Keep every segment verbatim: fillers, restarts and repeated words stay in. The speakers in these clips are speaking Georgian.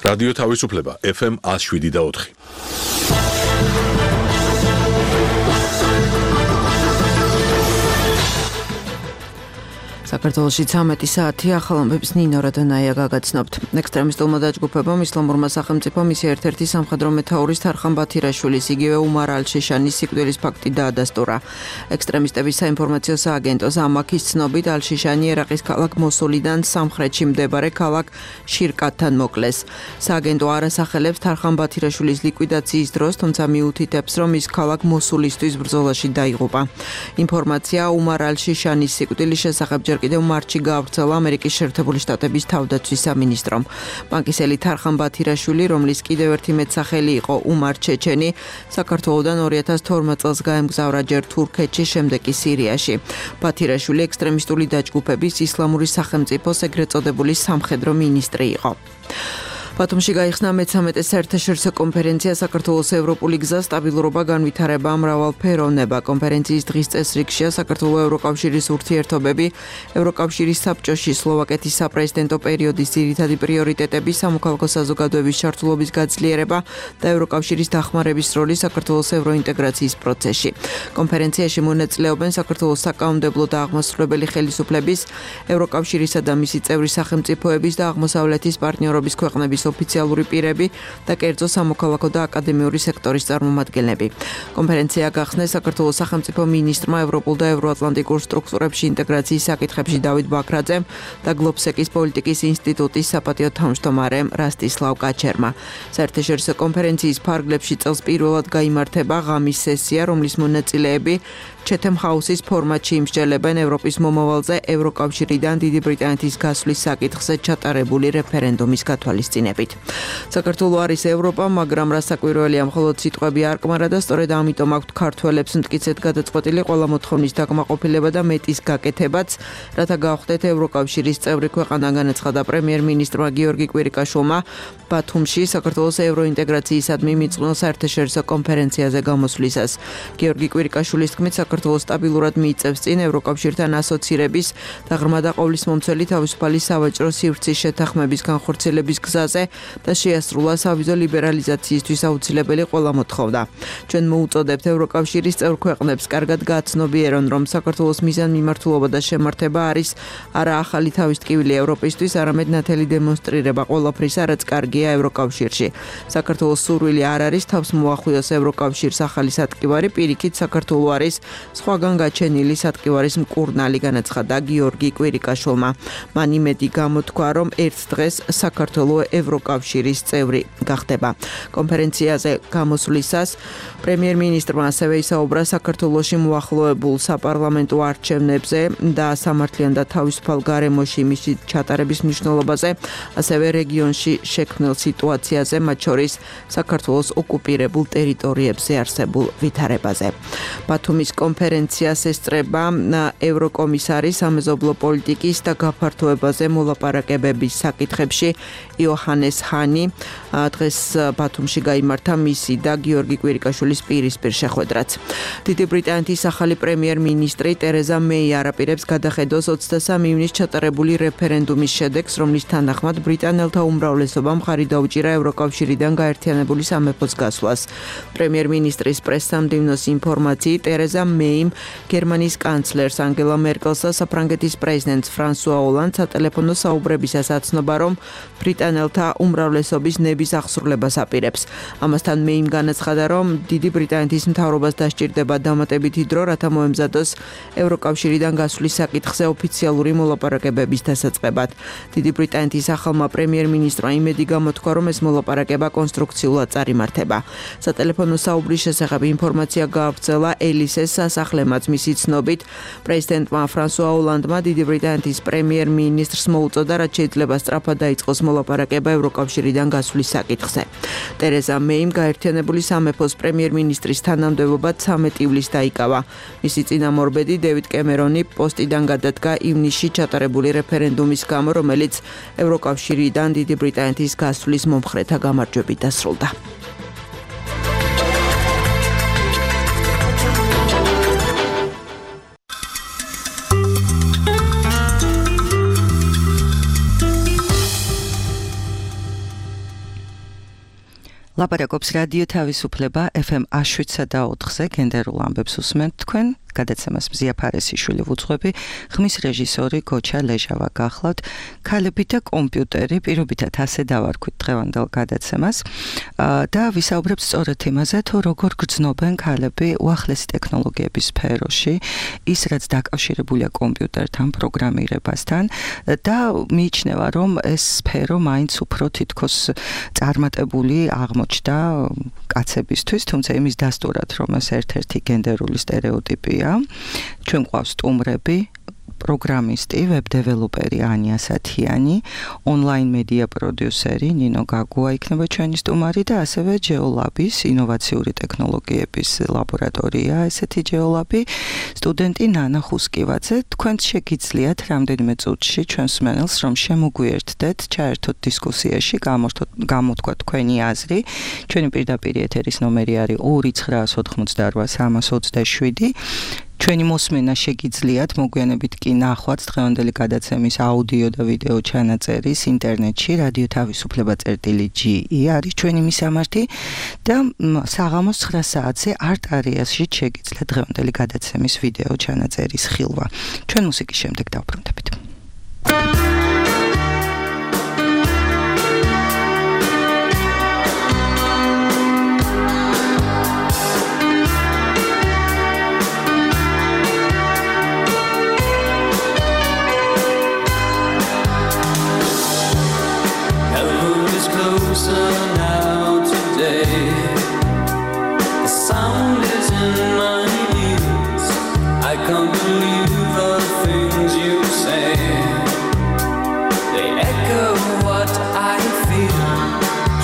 რადიო თავისუფლება ეფ ემ one oh seven და four. საქართველოში ცამეტი საათი ახალამბებს ნინო რადონაია გაგაცნობთ. ექსტრემისტულმა დაჯგუფებამ ისლამურმა სახელმწიფომ მისი ერთ-ერთი სამხედრო მეთაურის თარხან ბათირაშვილის იგივე უმარ ალ-შეშანის სიკვდილის ფაქტი დაადასტურა. ექსტრემისტების საინფორმაციო სააგენტოს ამაქის ცნობით ალ-შეშანი ერაყის ქალაქ მოსულიდან სამხრეთში მდებარე ქალაქ შირკატთან მოკლეს. სააგენტო არ ასახელებს თარხან ბათირაშვილის ლიკვიდაციის დროს, თუმცა მიუთითებს, რომ ის ქალაქ მოსულისთვის ბრძოლაში დაიღუპა. ინფორმაცია უმარ ალ-შეშანის სიკვდილის შესახებ ჯერ კიდევ მარტში გაავრცელა ამერიკის შეერთებული შტატების თავდაცვის სამინისტრომ. ბანკისელი თარხან ბათირაშვილი, რომლის კიდევ ერთი მეტსახელი იყო უმარ ჩეჩენი, საქართველოდან two thousand twelve წელს გაემგზავრა ჯერ თურქეთში, შემდეგ კი სირიაში. ბათირაშვილი ექსტრემისტული დაჯგუფების ისლამური სახელმწიფოს ეგრეთ წოდებული სამხედრო მინისტრი იყო. ბათუმში გაიხსნა მეცამეტე საერთაშორისო კონფერენცია საქართველოს ევროპული გზა, სტაბილურობა, განვითარება, მრავალფეროვნება. კონფერენციის დღის წესრიგშია საქართველოს ევროკავშირის ურთიერთობები, ევროკავშირის საბჭოში სლოვაკეთის საპრეზიდენტო პერიოდის ძირითადი პრიორიტეტები, სამოქალაქო საზოგადოების ჩართულობის გაძლიერება და ევროკავშირის დახმარების როლი საქართველოს ევროინტეგრაციის პროცესში. კონფერენციაში მონაწილეობენ საქართველოს საკანონმდებლო და აღმასრულებელი ხელისუფლების, ევროკავშირისა და მისი წევრი სახელმწიფოების და აღმოსავლეთის პარტნიორობის ქვეყნების ოფიციალური პირები და კერძო სამოქალაქო და აკადემიური სექტორის წარმომადგენლები. კონფერენცია გახსნეს საქართველოს სახელმწიფო მინისტრმა ევროპულ და ევროატლანტიკურ სტრუქტურებში ინტეგრაციის საკითხებში დავით ბაქრაძემ და გლობსეკის პოლიტიკის ინსტიტუტის საპატიო თავმჯდომარემ რასტისლავ კაჩერმა. საერთაშორისო კონფერენციის ფარგლებში წელს პირველად გაიმართება ღამის სესია, რომლის მონაწილეები ჩეთემ ჰაუსის ფორმატში იმსჯელებენ ევროპის მომავალზე ევროკავშირიდან დიდი ბრიტანეთის გასვლის საკითხზე ჩატარებული რეფერენდუმის გათვალისწინებით. საქართველო არის ევროპა, მაგრამ რასაკვირველია, მხოლოდ სიტყვები არ კმარა და სწორედ ამიტომ აქვთ ქართველებს მტკიცედ გადაწყვეტილი ყველა მოთხოვნის დაკმაყოფილება და მეტის გაკეთებაც, რათა გავხდეთ ევროკავშირის წევრი ქვეყანა, განაცხადა პრემიერ-მინისტრმა გიორგი კვირიკაშვილმა ბათუმში საქართველოს ევროინტეგრაციისადმი მიწყნელ საერთაშორისო კონფერენციაზე გამოსვლისას. გიორგი კვირიკაშვილის თქმით, საქართველოს სტაბილურად მიიწევს წინ ევროკავშირთან ასოცირების და ღრმა და ყოვლისმომცველი თავისუფალი სავაჭრო სივრცის შეთანხმების განხორციელების გზაზე და შეასრულა სავიზო ლიბერალიზაციისთვის აუცილებელი ყველა მოთხოვნა. ჩვენ მოუწოდებთ ევროკავშირის წევრ ქვეყნებს კარგად გააცნობიერონ, რომ საქართველოს მიზანმიმართულობა და შემართება არის არა ახალი თავის ტკივილი ევროპისთვის, არამედ ნათელი დემონსტრირება ყველაფრისა, რაც კარგია ევროკავშირში. საქართველოს სურვილი არ არის თავს მოახვიოს ევროკავშირს ახალი სატკივარი, პირიქით საქართველო არის სხვაგან გაჩენილი სატკივარის მკურნალი, განაცხადა გიორგი კვირიკაშვილმა. მან იმედი გამოთქვა, რომ ერთ დღეს საქართველო ევროკავშირის წევრი გახდება. კონფერენციაზე გამოსვლისას პრემიერ-მინისტრმა ასევე ისაუბრა საქართველოში მოახლოებულ საპარლამენტო არჩევნებზე და სამართლიან და თავისუფალ გარემოში მისი ჩატარების მნიშვნელობაზე, ასევე რეგიონში შექმნილ სიტუაციაზე, მათ შორის საქართველოს ოკუპირებულ ტერიტორიებზე არსებულ ვითარებაზე. ბათუმის კონფერენციას ესწრება ევროკომისარი სამეზობლო პოლიტიკის და გაფართოებაზე მოლაპარაკებების საკითხებში იოჰანეს ჰანი. დღეს ბათუმში გაიმართა მისი და გიორგი კვირიკაშვილის პირისპირ შეხვედრაც. დიდი ბრიტანეთის ახალი პრემიერ-მინისტრი ტერეზა მეი არაპირებს გადახედოს ოცდასამი ივნის ჩატარებული რეფერენდუმის შედეგს, რომლის თანახმად ბრიტანელთა უმრავლესობამ ხარი დაუჭირა ევროკავშირიდან გაერთიანებული სამეფოს გასვლას. პრემიერ-მინისტრის პრესსამდივნოს ინფორმაციით, ტერეზა მეიმ გერმანიის კანცლერს ანგელა მერკელს და საფრანგეთის პრეზიდენტს ფრანსუა ოლანდს სატელეფონო საუბრებისას აცნობა, რომ ბრიტანელთა უმრავლესობის ნების აღსრულებას აპირებს. ამასთან მეიმ განაცხადა, რომ დიდი ბრიტანეთის მთავრობას დასჭირდება დამატებითი დრო, რათა მოემზადოს ევროკავშირიდან გასვლის საკითხზე ოფიციალური მოლაპარაკებების დასაწყებად. დიდი ბრიტანეთის ახალმა პრემიერ-მინისტრმა იმედი გამოთქვა, რომ ეს მოლაპარაკება კონსტრუქციულად წარიმართება. სატელეფონო საუბრის შესახებ ინფორმაცია გაავრცელა ელისეს სასახლემაც. მისი ცნობით, პრეზიდენტმა ფრანსუა ოლანდმა დიდი ბრიტანეთის პრემიერ-მინისტრს მოუწოდა, რაც შეიძლება სწრაფად დაიწყოს მოლაპარაკება ევროკავშირიდან გასვლის საკითხზე. ტერეზა მეიმ გაერთიანებული სამეფოს პრემიერ-მინისტრის თანამდებობა ცამეტი ივლისს დაიკავა. მისი წინამორბედი დევიდ კემერონი პოსტიდან გადადგა ივნისში ჩატარებული რეფერენდუმის გამო, რომელიც ევროკავშირიდან დიდი ბრიტანეთის გასვლის მომხრეთა გამარჯვებით დასრულდა. ლაპარაკობს რადიო თავისუფლება ეფ ემ შვიდსა და ოთხზე გენდერულ ამბებს უსმენთ თქვენ გადაცემას მზია ფარესიშვილი ვუძღვები ხმის რეჟისორი გოჩა ლეჟავა გახლავთ ქალები და კომპიუტერი პირობითად ასე დავარქვით დღევანდელ გადაცემას და ვისაუბრებთ სწორედ იმაზე თუ როგორ გრძნობენ ქალები უახლესი ტექნოლოგიების სფეროში ის რაც დაკავშირებულია კომპიუტერთან პროგრამირებასთან და მიიჩნევა რომ ეს სფერო მაინც უფრო თითქოს წარმატებული აღმოჩნდა კაცებისთვის თუმცა იმის დასტურად რომ ეს ერთ-ერთი გენდერული სტერეოტიპია ჩვენ გვყავს სტუმრები პროგრამისტი, ვებ-დეველოპერი ანია სათიანი, ონლაინ მედია პროდიუსერი ნინო გაგუა იქნება ჩვენი სტუმარი და ასევე ჯეოლაბის ინოვაციური ტექნოლოგიების ლაბორატორია, ესეთი ჯეოლაბი, სტუდენტი ნანა ხუსკივაძე. თქვენც შეგიძლიათ რამდენიმე წუთში ჩვენს მსმენელს რომ შემოგვიერთდეთ, ჩაერთოთ დისკუსიაში, გამოთქვათ თქვენი აზრი. ჩვენი პირდაპირ ეთერის ნომერი არის ორი ცხრაას ოთხმოცდაორვა სამას ოცდაშვიდი. ჩვენი მოსმენა შეგიძლიათ მოგვიანებით კი ნახვაც დღევანდელი გადაცემის აუდიო და ვიდეო ჩანაწერის ინტერნეტში რადიო თავისუფლება წერტილი ჯი ი არის ჩვენი მისამართი და საღამოს ცხრა საათზე არტარიაში შეგიძლიათ დღევანდელი გადაცემის ვიდეო ჩანაწერის ხილვა. ჩვენ მუსიკის შემდეგ დავბრუნდებით. Closer now today. The sound is in my ears. I can't believe the things you say. They echo what I feel,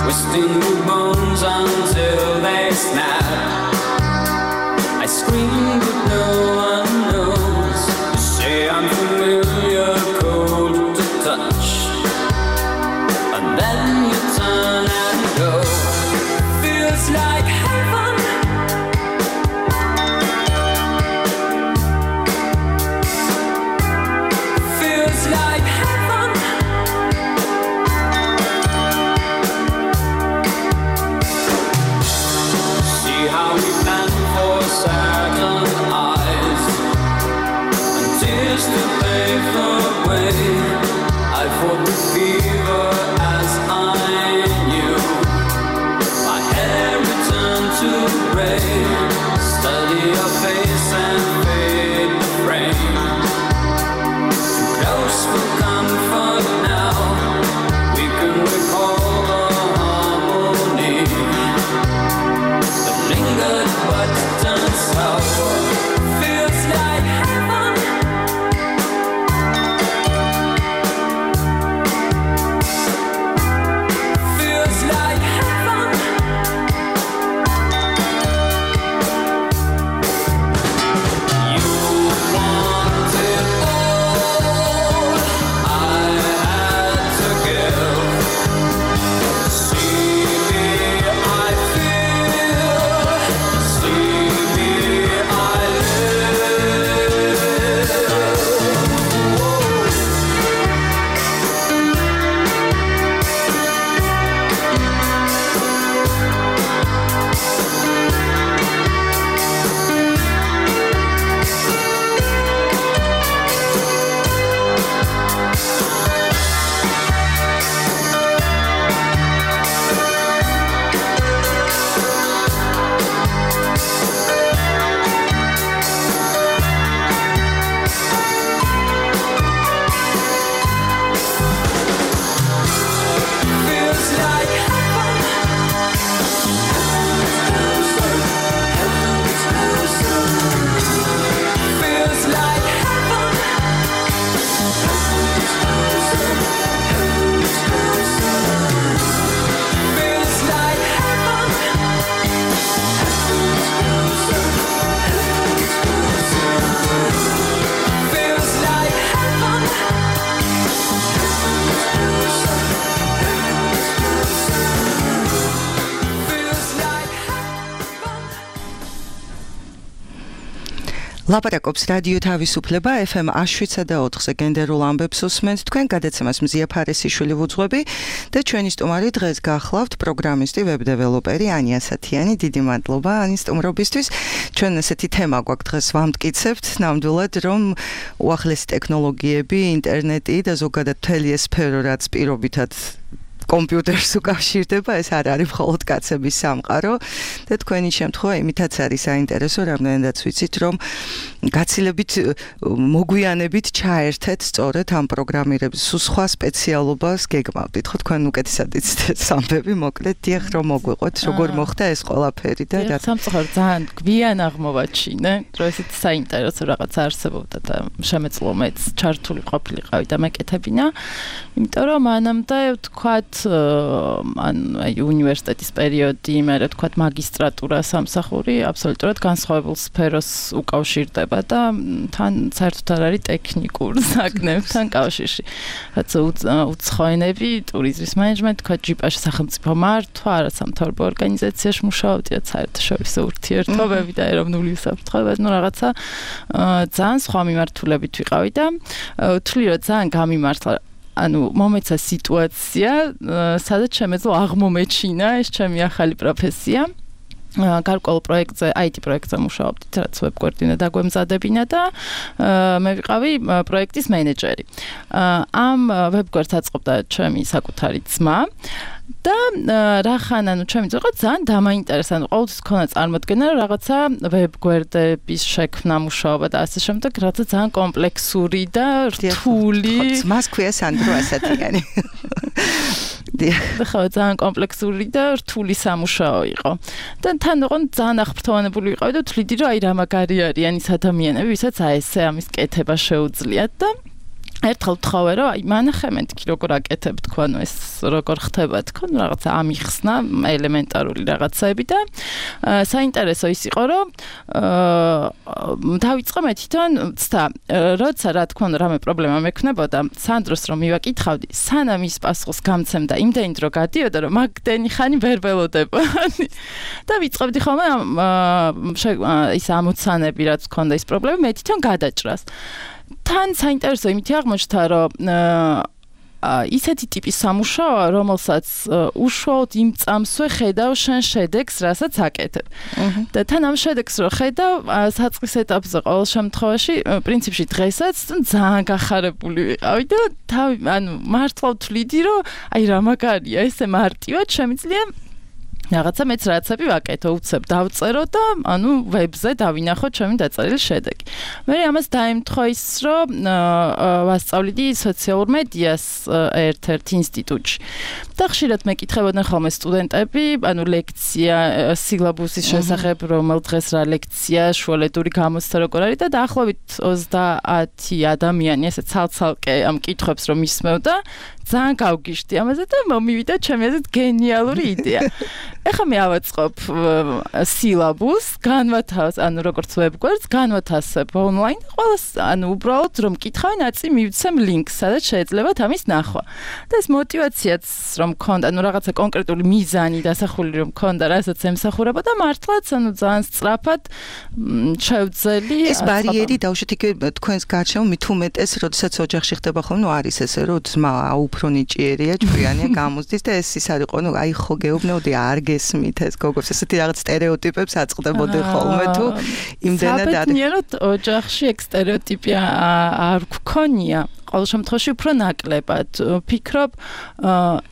twisting the bones until they snap. I scream but no one knows. You say I'm familiar, cold to touch. And then you turn and go. Feels like heaven. Feels like heaven. See how we plan for Saturn I ლაპარაკობს რადიო თავისუფლება ეფ ემ შვიდსა და ოთხზე გენდერულ ამბებს უსმენთ თქვენ გადაცემას მზია ფარესიშვილი ვუძღვები და ჩვენი სტუმარი დღეს გახლავთ პროგრამისტი ვებ-დეველოპერი ანია სათიანი. დიდი მადლობა ანის სტუმრობისთვის. ჩვენ ესეთი თემა გვაქვს დღეს ვამტკიცებთ ნამდვილად რომ უახლესი ტექნოლოგიები, ინტერნეტი და ზოგადად მთელი ეს სფერო რაც პირობითად კომპიუტერს უკავშირდება, ეს არ არის მხოლოდ კაცების სამყარო და თქვენი შემთხვევა იმითაც არის საინტერესო, რამდენადაც ვიცით, რომ გაცილებით მოგვიანებით ჩაერთეთ სწორედ ამ პროგრამირების სხვა სპეციალობას გეგმავდით. ხო, თქვენ უკეთესად იცით სამბები, მოკლედ დიახ რომ მოგვიყვეთ, როგორ მოხდა ეს ყველაფერი და რა სამწუხაროდ ძალიან გვიან აღმოვაჩინე, რომ ესეთ საინტერესო რაღაც არსებობდა და შემეძლო მეც ჩართული ყოფილიყავი და მეკეთებინა, იმიტომ რომ მანამდე ვთქვათ ან აი უნივერსიტეტის პერიოდი, მე რა ვთქვათ მაგისტრატურა სამსახური აბსოლუტურად განსხვავებულ სფეროს უკავშირდება და თან საერთოდ არ არის ტექნიკურ საკნებთან კავშირში. რაც უცხოენები, ტურიზმის მენეჯმენტი, თქვა ჯიპაში სახელმწიფო მართვა, არასამთავრობო ორგანიზაციაში მუშაობდი, რაც საერთაშორისო ურთიერთობები და ეროვნული უსაფრთხოება, ну რაღაცა ძალიან სხვა მიმართულებით ვიყავი და ვთვლი რომ ძალიან გამიმართლა ანუ მომეცა სიტუაცია, სადაც შემეძლო აღმომეჩინა ეს ჩემი ახალი პროფესია. გარკვეულ პროექტზე, აი ტი პროექტზე მუშაობდით, რაც ვებ-კოორდინა დაგვემზადებინა და მე ვიყავი პროექტის მენეჯერი. ამ ვებ-კოორდს აწყობდა ჩემი საკუთარი ძმა და რახან ანუ ჩემი ძმა ძალიან დამაინტერესა, ანუ ყოველთვის ქონა წარმოდგენა რომ რაღაცა ვებ-გვერდების შექმნა მუშაობა და ასე შემდეგ, რაღაცა ძალიან კომპლექსური და რთული. ძმას ქვია სანდრო ასათიანი. ხო, ძალიან კომპლექსური და რთული სამუშაო იყო. და თან ოღონ ძალიან აღფრთოვანებული ვიყავი და ვთვლიდი რომ აი რა მაგარი არიან ის ადამიანები, ვისაც აი ესე ამის კეთება შეუძლიათ და ერთხელ ვთხოვე რომ აი მანახე მეთქი როგორ აკეთებ თქვა ნუ ეს როგორ ხდება თქვა ნუ რაღაცა ამიხსნა ელემენტარული რაღაცები და საინტერესო ის იყო რომ დავიწყე მე თვითონ ცდა როცა რა თქვა ნუ რამე პრობლემა მექნებოდა სანდროს რომ მივაკითხავდი სანამ ის პასუხს გამცემდა იმდენი დრო გადიოდა რომ მაგდენი ხანი ვერ ველოდებოდი და ვიწყებდი ხოლმე ის ამოცანები რაც ქონდა ის პრობლემა მე თვითონ გადაჭრას თან საინტერესო იმითი აღმოჩნდა რომ ისეთი ტიპის სამუშაოა რომელსაც უშუალოდ იმ წამსვე ხედავ შენ შედეგს რასაც აკეთებ და თან ამ შედეგს რო ხედავ საწყის ეტაპზე ყოველ შემთხვევაში პრინციპში დღესაც ძალიან გახარებული ვიყავი და თავი ანუ მართლა ვთვლიდი რომ აი რა მაგარია ესე მარტივად შემიძლია რაღაცა მეც რაცები ვაკეთო, უცებ დავწერო და ანუ ვებზე დავინახო ჩემი დაწერილი შედეგი. მე ამას დაემთხვა ის, რომ ვასწავლიდი სოციალურ მედიას ერთ-ერთ ინსტიტუტში. და ხშირად მეკითხებოდნენ ხოლმე სტუდენტები, ანუ ლექცია სილაბუსის შესახებ, რომელ დღეს რა ლექცია, შუალედური გამოცდა როგორ არის და დაახლოებით ოცდაათი ადამიანი ესე ცალ-ცალკე ამ კითხვებს რომ ისმევდა, ძალიან გავგიშდი ამაზე და მომივიდა ჩემი აზრით გენიალური იდეა. ეხლა მე ავაწყობ სილაბუსს, განვათავს, ანუ როგორც ვებ-გვერდს, განვათავსებ ონლაინ, ყველას, ანუ უბრალოდ რომ კითხავენ, აწი მივცემ ლინკს, სადაც შეეძლებათ ამის ნახვა. და ეს мотиваციაც რომ მქონდა, ანუ რაღაცა კონკრეტული მიზანი დასახული რომ მქონდა, რასაც ემსახურება და მართლაც, ანუ ძალიან სწრაფად შევძელი. ეს ბარიერი დავუშვით იქ თქვენს გარშემო მით უმეტეს, როდესაც ოჯახში ხდება ხოლმე, ნუ არის ესე, რომ ძმა უფრო ნიჭიერია, ჭკვიანია გამოსდის და ეს ის არის, ნუ აი ხო გეუბნეოდი არ გესმით ეს გოგოს ესეთი რაღაც სტერეოტიპებს აწყდებოდი ხოლმე თუ იმდენად არის. საბედნიეროდ ოჯახში ეგ სტერეოტიპი არ გქონია. ყოველ შემთხვევაში უფრო ნაკლებად ვფიქრობ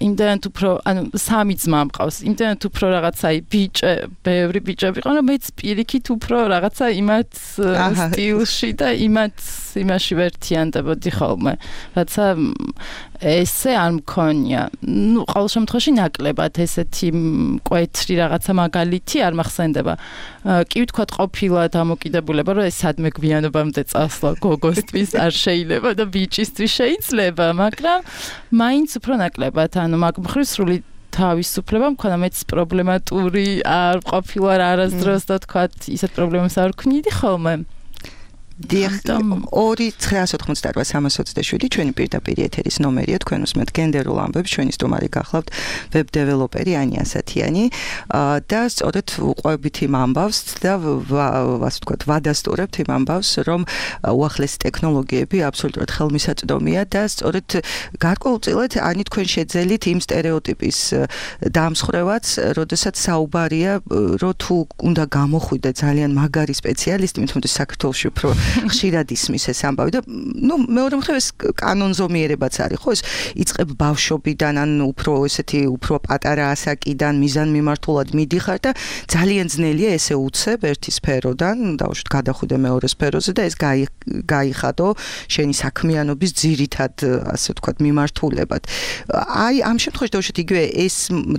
იმდენად უფრო ანუ სამი ძმა მყავს იმდენად უფრო რაღაცა ბიჭე ბევრი ბიჭები ყო რომ მეც პირიქით უფრო რაღაცა იმათ სტილში და იმათ იმაში ვერთიანდებოდი ხოლმე რაცა ესე არ მქონია ნუ ყოველ შემთხვევაში ნაკლებად ესეთი მკვეთრი რაღაცა მაგალითი არ მახსენდება კი ვთქვათ ყოფილა დამოკიდებულება რომ ეს სადმე გვიანობამდე წასვლა გოგოსთვის არ შეიძლება და ბიჭისთვის შეიძლება მაგრამ მაინც უფრო ნაკლებად ანუ მაგ მხრივ სრული თავისუფლება მქონდა მეც პრობლემატური არ ყოფილა არასდროს და თქვათ ისეთ პრობლემას არ ვქნიდი ხოლმე ორი ცხრაასი ოცდაოთხ სამას ოცდაშვიდი ჩვენი პირდაპირ ეთერის ნომერია თქვენ უსმენთ გენდერულ ამბებს ჩვენი სტუმარი გახლავთ ვებ დეველოპერი ანია ასათიანი და სწორედ უყვებით იმ ამბავს და ასე ვთქვათ ვადასტურებთ იმ ამბავს რომ უახლესი ტექნოლოგიები აბსოლუტურად ხელმისაწვდომია და სწორედ გარკვეულწილად ანი თქვენ შეძელით იმ სტერეოტიპის დამსხრევაც როდესაც საუბარია რომ თუ უნდა გამოხვიდე ძალიან მაგარი სპეციალისტი მე თვითონ საქართველოში უფრო ხშირად ისმის ეს ამბავი და ნუ მეორე მხრივ ეს კანონზომიერებაც არის ხო ეს იწყებ ბავშვობიდან ან უფრო ესეთი უფრო პატარა ასაკიდან მიზანმიმართულად მიდიხარ და ძალიან ძნელია ესე უცებ ერთი სფეროდან დავუშვით გადახვიდე მეორე სფეროზე და ეს გაიხადო შენი საქმიანობის ძირითად ასე ვთქვათ მიმართულებად აი ამ შემთხვევაში დავუშვით იგივე ეს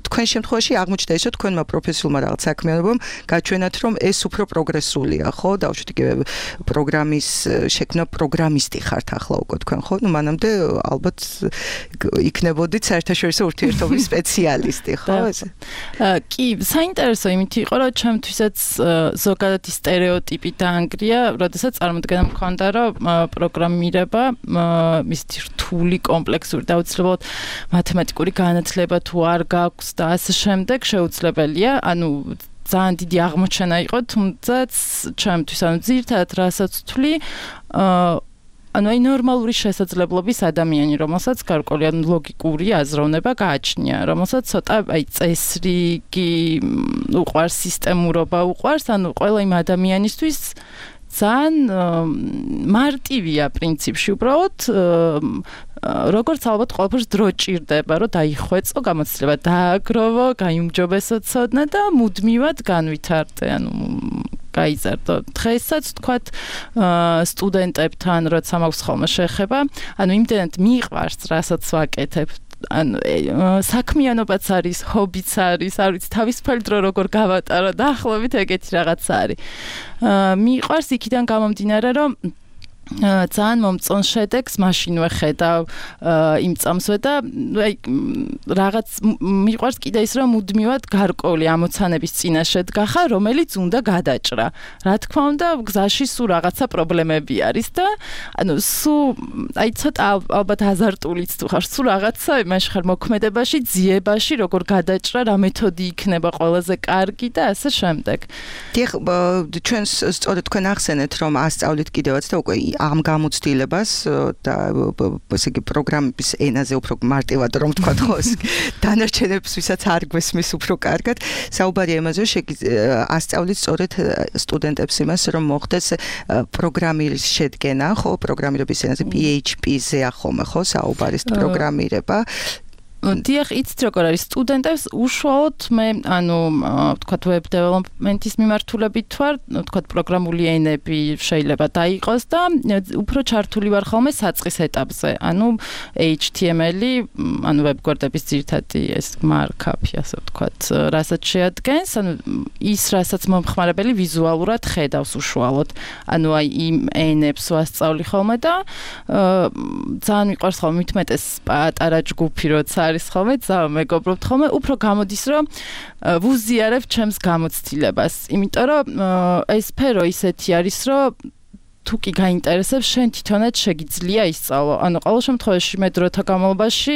თქვენ შემთხვევაში აღმოჩნდა ისო თქვენმა პროფესიულმა რაღაც საქმიანობამ გაჩვენათ რომ ეს უფრო პროგრესულია ხო დავუშვით იგივე პროგრამის შექმნა პროგრამისტი ხართ ახლა უკვე თქვენ ხო ნუ მანამდე ალბათ იქნებოდით საერთაშორისო ურთიერთობის სპეციალისტი ხო ესე კი საინტერესო იმით იყო რომ ჩემთვისაც ზოგადად სტერეოტიპი დაანგრია როდესაც წარმოდგენა მქონდა რომ პროგრამირება მისთი რთული კომპლექსური და უცლებოდ მათემატიკური განათლება თუ არ გაქვს და ასე შემდეგ შეუძლებელია ანუ ძალიან დიდი აღმოჩენა იყო, თუმცა ჩემთვის ანუ ძირითადად რასაც ვთვლი, ანუ აი ნორმალური შესაძლებლობის ადამიანი, რომელსაც გარკვეული ანუ ლოგიკური აზროვნება გააჩნია, რომელსაც ცოტა აი წესრიგი უყვარს, სისტემურობა უყვარს, ანუ ყველა იმ ადამიანისთვის ძალიან მარტივია პრინციპში უბრალოდ როგორც ალბათ ყველაფერს დრო ჭირდება, რომ დაიხვეწო, გამოცდილება დააგროვო, გაიუმჯობესო ცოდნა და მუდმივად განვითარდე, ანუ გაიზარდო. დღესაც თქვათ სტუდენტებთან, როცა მაქვს ხოლმე შეხება, ანუ იმდენად მიყვარს, რასაც ვაკეთებ, ანუ საქმიანობაც არის, ჰობიც არის, არ ვიცი, თავისუფალი დრო როგორ გავატარო, დაახლოებით ეგეთი რაღაც არის. მიყვარს იქიდან გამომდინარე, რომ ძალიან მომწონს შედეგს მაშინ ვეხედავ იმ წამსვე და აი რაღაც მიყვარს კიდე ის რომ მუდმივად გარკვეული ამოცანების წინაშე დგახარ რომელიც უნდა გადაჭრა რა თქმა უნდა გზაში სულ რაღაცა პრობლემები არის და ანუ სულ აი ცოტა ალბათ აზარტულიც თუ ხარ სულ რაღაცა იმაში ხარ მოქმედებაში ძიებაში როგორ გადაჭრა რა მეთოდი იქნება ყველაზე კარგი და ასე შემდეგ დიახ ჩვენს სწორედ თქვენ ახსენეთ რომ ასწავლით კიდევაც და უკვე ამ გამოცდილებას და ესე იგი პროგრამების ენაზე უფრო მარტივად რომ ვთქვათ ხო დანარჩენებს ვისაც არ გვესმის უფრო კარგად საუბარია იმაზე ასწავლით სწორედ სტუდენტებს იმას რომ მოხდეს პროგრამირის შედგენა ხო პროგრამირების ენაზე P H P-ზე ახome ხო საუბარის პროგრამირება დიახ, იცით როგორ არის სტუდენტებს უშუალოდ მე ანუ ვთქვათ web development-ის მიმართულებით ვარ, ვთქვათ პროგრამული ენები შეიძლება დაიყოს და უფრო ჩართული ვარ ხოლმე საწყის ეტაპზე. ანუ H T M L-ი, ანუ ვებგვერდების ძირითადი ეს markup-ი, ასე ვთქვათ, რასაც შეადგენს, ანუ ის რასაც მომხმარებელი ვიზუალურად ხედავს უშუალოდ. ანუ აი იმ ენებს ვასწავლი ხოლმე და ძალიან მიყვარს ხოლმე მitmetes პატარა ჯგუფი როცა არის ხოლმე ძალიან მეგობრობთ ხოლმე უფრო გამოდის რომ ვუზიარებ ჩემს გამოცდილებას იმიტომ რომ ეს სფერო ისეთი არის რომ თუ კი გაინტერესებს შენ თვითონაც შეგიძლია ისწავლო ანუ ყოველ შემთხვევაში მე დროთა განმავლობაში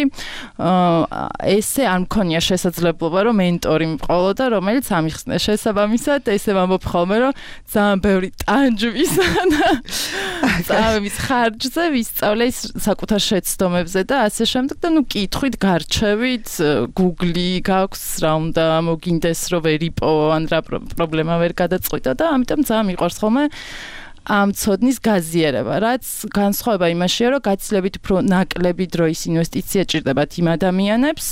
ესე არ მქონია შესაძლებლობა რომ მენტორი მყოლოდა რომელიც ამიხსნე შესაბამისად ესე ვამბობ ხოლმე რომ ძალიან ბევრი ტანჯვისა და წამების ხარჯზე ვისწავლე ის საკუთარ შეცდომებზე და ასე შემდეგ და ნუ კითხვით გარჩევით Google-ი გაქვს რა უნდა მოგინდეს რომ ვერ იპოვო ან რა პრობლემა ვერ გადაწყვიტო და ამიტომ ძალიან მიყვარს ხოლმე ამ ცოდნის გაზიარება, რაც განსხვავება იმაშია, რომ გაცილებით უფრო ნაკლები დროის ინვესტიცია ჭირდებათ იმ ადამიანებს,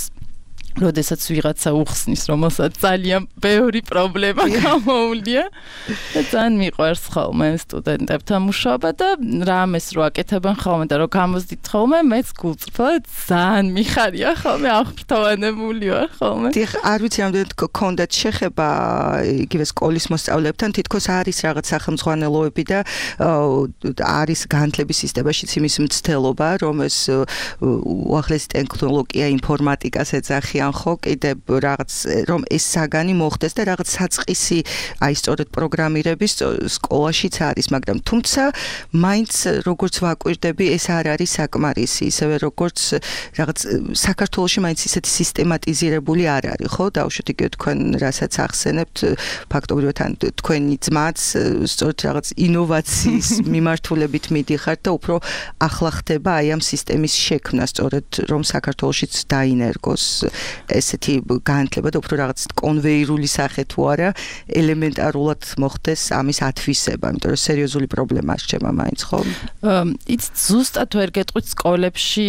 როდესაც ვიღაცა უხსნის, რომელსაც ძალიან ბევრი პრობლემა გამოუვლია და ძალიან მიყვარს ხოლმე სტუდენტებთან მუშაობა და რამეს რო აკეთებენ ხოლმე და რო გამოსდით ხოლმე, მეც გულწრფელად ძალიან მიხარია ხოლმე აღფრთოვანებული ვარ ხოლმე. დიახ, არ ვიცი რამდენად გქონდათ შეხება იგივე სკოლის მოსწავლეებთან, თითქოს არის რაღაც სახელმძღვანელოები და არის განათლების სისტემაშიც იმის მცდელობა, რომ ეს უახლესი ტექნოლოგია, ინფორმატიკას ეძახიან არიან ხო კიდე რაღაც რომ ეს საგანი მოხდეს და რაღაც საწყისი აი სწორედ პროგრამირების სკოლაშიც არის, მაგრამ თუმცა მაინც როგორც ვაკვირდები ეს არ არის საკმარისი, ისევე როგორც რაღაც საქართველოში მაინც ისეთი სისტემატიზირებული არ არის, ხო? დავუშვით იგივე თქვენ რასაც ახსენებთ, ფაქტობრივად ან თქვენი ძმაც სწორედ რაღაც ინოვაციის მიმართულებით მიდიხართ და უფრო ახლა ხდება აი ამ სისტემის შექმნა, სწორედ რომ საქართველოშიც დაინერგოს ესეთი განათლება და უფრო რაღაც კონვეირული სახე თუ არა ელემენტარულად მოხდეს ამის ათვისება, იმიტომ რომ სერიოზული პრობლემაა შეჭება მაინც, ხო? იც ზუსტად ვერ გეტყვით სკოლებში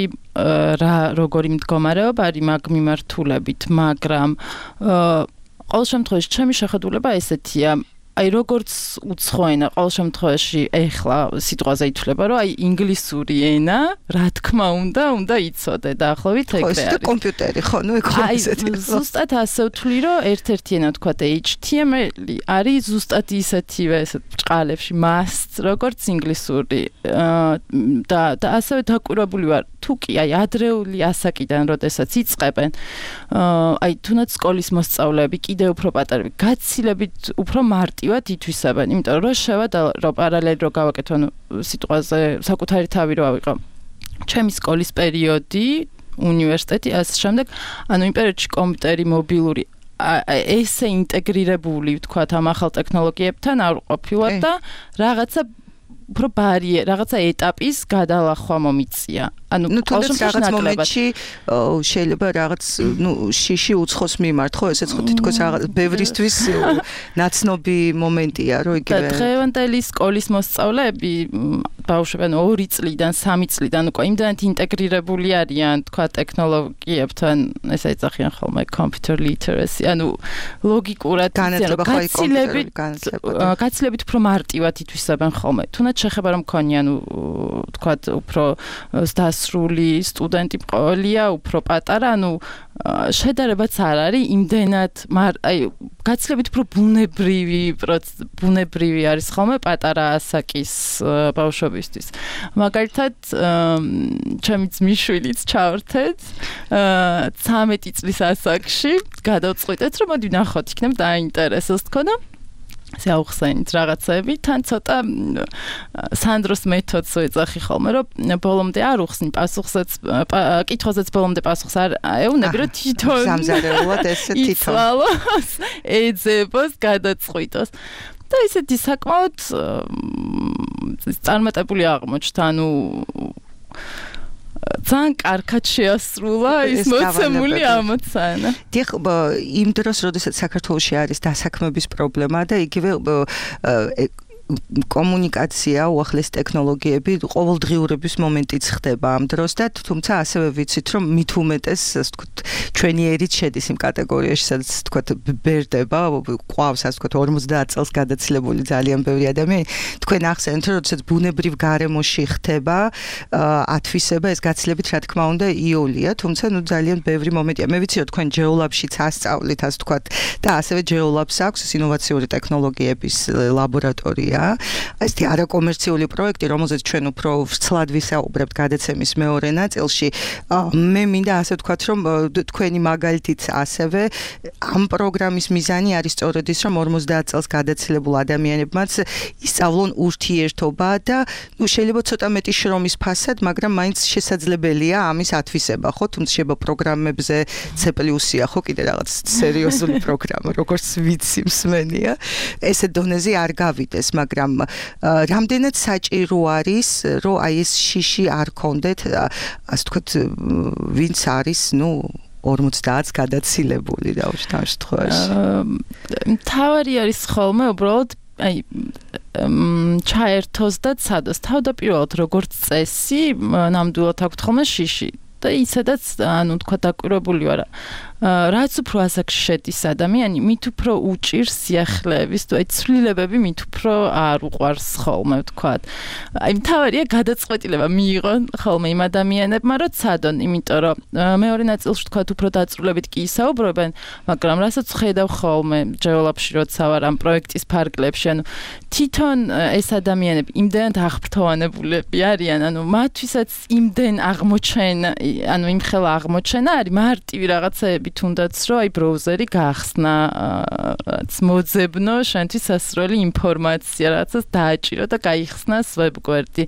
რა როგორი მდგომარეობა არის მაგ მიმართულებით, მაგრამ ყოველ შემთხვევაში ჩემი შეხედულება ესეთია, აი როგორც უცხოენა ყოველ შემთხვევაში ეხლა სიტყვაზე ითვლება, რომ აი ინგლისური ენა, რა თქმა უნდა, უნდა იცოდე და ახლავით ეგრე არის. ხო, ეს კომპიუტერი, ხო, ნუ ეგ ესეთი. აი, ზუსტად ასე ვთვლი, რომ ერთ-ერთი ენა თქვა და H T M L არის ზუსტად ისეთივე ესეთ ბჭყალებში must, როგორც ინგლისური. და და ასევე დაკვირვებული ვარ, თუ კი აი ადრეული ასაკიდან, როდესაც იწყებენ, აი თუნდაც სკოლის მოსწავლეები კიდე უფრო პატარები, გაცილებით უფრო მარტივად ითვისებენ, იმიტომ რომ შევადა რომ პარალელი რო გავაკეთო, ანუ სიტყვაზე საკუთარი თავი რო ავიღო. ჩემი სკოლის პერიოდი, უნივერსიტეტი, ასე შემდეგ, ანუ იმ პერიოდში კომპიუტერი, მობილური ესე ინტეგრირებული, ვთქვათ, ამ ახალ ტექნოლოგიებთან არ ყოფილა და რაღაცა უფრო ბარიე, რაღაცა ეტაპის გადალახვა მომიწია. ანუ ნუ თუნდაც რაღაც მომენტში შეიძლება რაღაც ნუ შიში უცხოს მიმართ, ხო, ესეც ხო თითქოს რაღაც ბევრისთვის ნაცნობი მომენტია, რომ იგივე. და დღევანდელი სკოლის მოსწავლეები ბავშვები ანუ ორი წლიდან, სამი წლიდან უკვე იმდანად ინტეგრირებული არიან, თქვა ტექნოლოგიებთან, ესე ეძახიან ხოლმე computer literacy, ანუ ლოგიკურად გაცილებით გაცილებით უფრო მარტივად ითვისებენ ხოლმე. თუნდაც შეხება რომ მქონია, ანუ თქვა უფრო დასრული სტუდენტი მყოლია, უფრო პატარა, ანუ შედარებაც არ არის იმდენად, აი გაცილებით უფრო ბუნებრივი ბუნებრივი არის ხოლმე პატარა ასაკის ბავშვებისთვის. მაგალითად, ჩემი ძმისშვილიც ჩავერთეთ ცამეტი წლის ასაკში, გადავწყვიტეთ, რომ მოდი ვნახოთ, იქნებ დაინტერესოს თქო და ესე აუხსენით რაღაცები, თან ცოტა სანდროს მეთოდს ვეძახი ხოლმე, რომ ბოლომდე არ უხსნი პასუხსაც, კითხვაზეც ბოლომდე პასუხს არ ეუნები, რომ თვითონ სამზარეულოდ ესე თვითონ იცვალოს, ეძებოს, გადაწყვიტოს. და ისეთი საკმაოდ წარმატებული აღმოჩნდა, ანუ ძალიან კარგად შეასრულა ის მოცემული ამოცანა. დიახ, იმ დროს, როდესაც საქართველოში არის დასაქმების პრობლემა და იგივე კომუნიკაცია, უახლესი ტექნოლოგიები ყოველდღიურობის მომენტიც ხდება ამ დროს და თუმცა ასევე ვიცით, რომ მით უმეტეს, ასე ვთქვათ, ჩვენი ერით შედის იმ კატეგორიაში, სადაც ვთქვათ, ბერდება, ყავს, ასე ვთქვათ, ორმოცდაათ წელს გადაცილებული ძალიან ბევრი ადამიანი. თქვენ ახსენეთ, რომ როდესაც ბუნებრივ გარემოში ხდება ათვისება, ეს გაცილებით, რა თქმა უნდა, იოლია, თუმცა ნუ ძალიან ბევრი მომენტია. მე ვიცი, რომ თქვენ ჯეოლაბშიც ასწავლით, ასე ვთქვათ, და ასევე ჯეოლაბს აქვს ეს ინოვაციური ტექნოლოგიების ლაბორატორია. ესეთი არაკომერციული პროექტი, რომელზეც ჩვენ უფრო ვრცლად ვისაუბრებთ გადაცემის მეორე ნაწილში. მე მინდა ასე ვთქვათ, რომ თქვენი მაგალითიც ასევე ამ პროგრამის მიზანი არის სწორედ ის, რომ ორმოცდაათ წელს გადაცილებულ ადამიანებმაც ისწავლონ ურთიერთობა და ნუ შეიძლება ცოტა მეტი შრომის ფასად, მაგრამ მაინც შესაძლებელია ამის ათვისება, ხო? თუმცა შეიძლება პროგრამებზე C plus-ია, ხო, კიდე რაღაც სერიოზული პროგრამა, როგორც ვიცი მსმენია. ესე დონეზე არ გავიდეს, მაგრამ რამდენად საჭირო არის, რომ აი ეს შიში არ კონდეთ, ასე ვთქვათ, ვინც არის, ნუ ორმოცდაათს გადაცილებული დავუშვით ამ შემთხვევაში. მთავარი არის ხოლმე უბრალოდ აი ჩაერთოს და ცადოს. თავდაპირველად როგორც წესი, ნამდვილად აქვთ ხოლმე შიში. და ისედაც, ანუ თქვა დაკვირვებული ვარ, რაც უფრო ასაკში შედის ადამიანი, მით უფრო უჭირს სიახლეების, თუ აი ცვლილებები მით უფრო არ უყვარს ხოლმე, ვთქვათ. აი მთავარია გადაწყვეტილება მიიღონ ხოლმე იმ ადამიანებმა, რომ ცადონ, იმიტომ რომ მეორე ნაწილში ვთქვათ, უფრო დაწვრილებით კი ისაუბრებენ, მაგრამ რასაც ხედავ ხოლმე ჯეოლაბში, როცა ვარ ამ პროექტის ფარგლებში, ანუ თვითონ ეს ადამიანები იმდენად აღფრთოვანებულები არიან, ანუ მათთვისაც იმდენ აღმოჩენა, ანუ იმხელა აღმოჩენა არის მარტივი რაღაცეები გეუბნები თუნდაც რომ აი ბროუზერი გახსნა რაც მოძებნო შენთვის სასროლი ინფორმაცია რაღაცას დააჭირო და გაიხსნას ვებგვერდი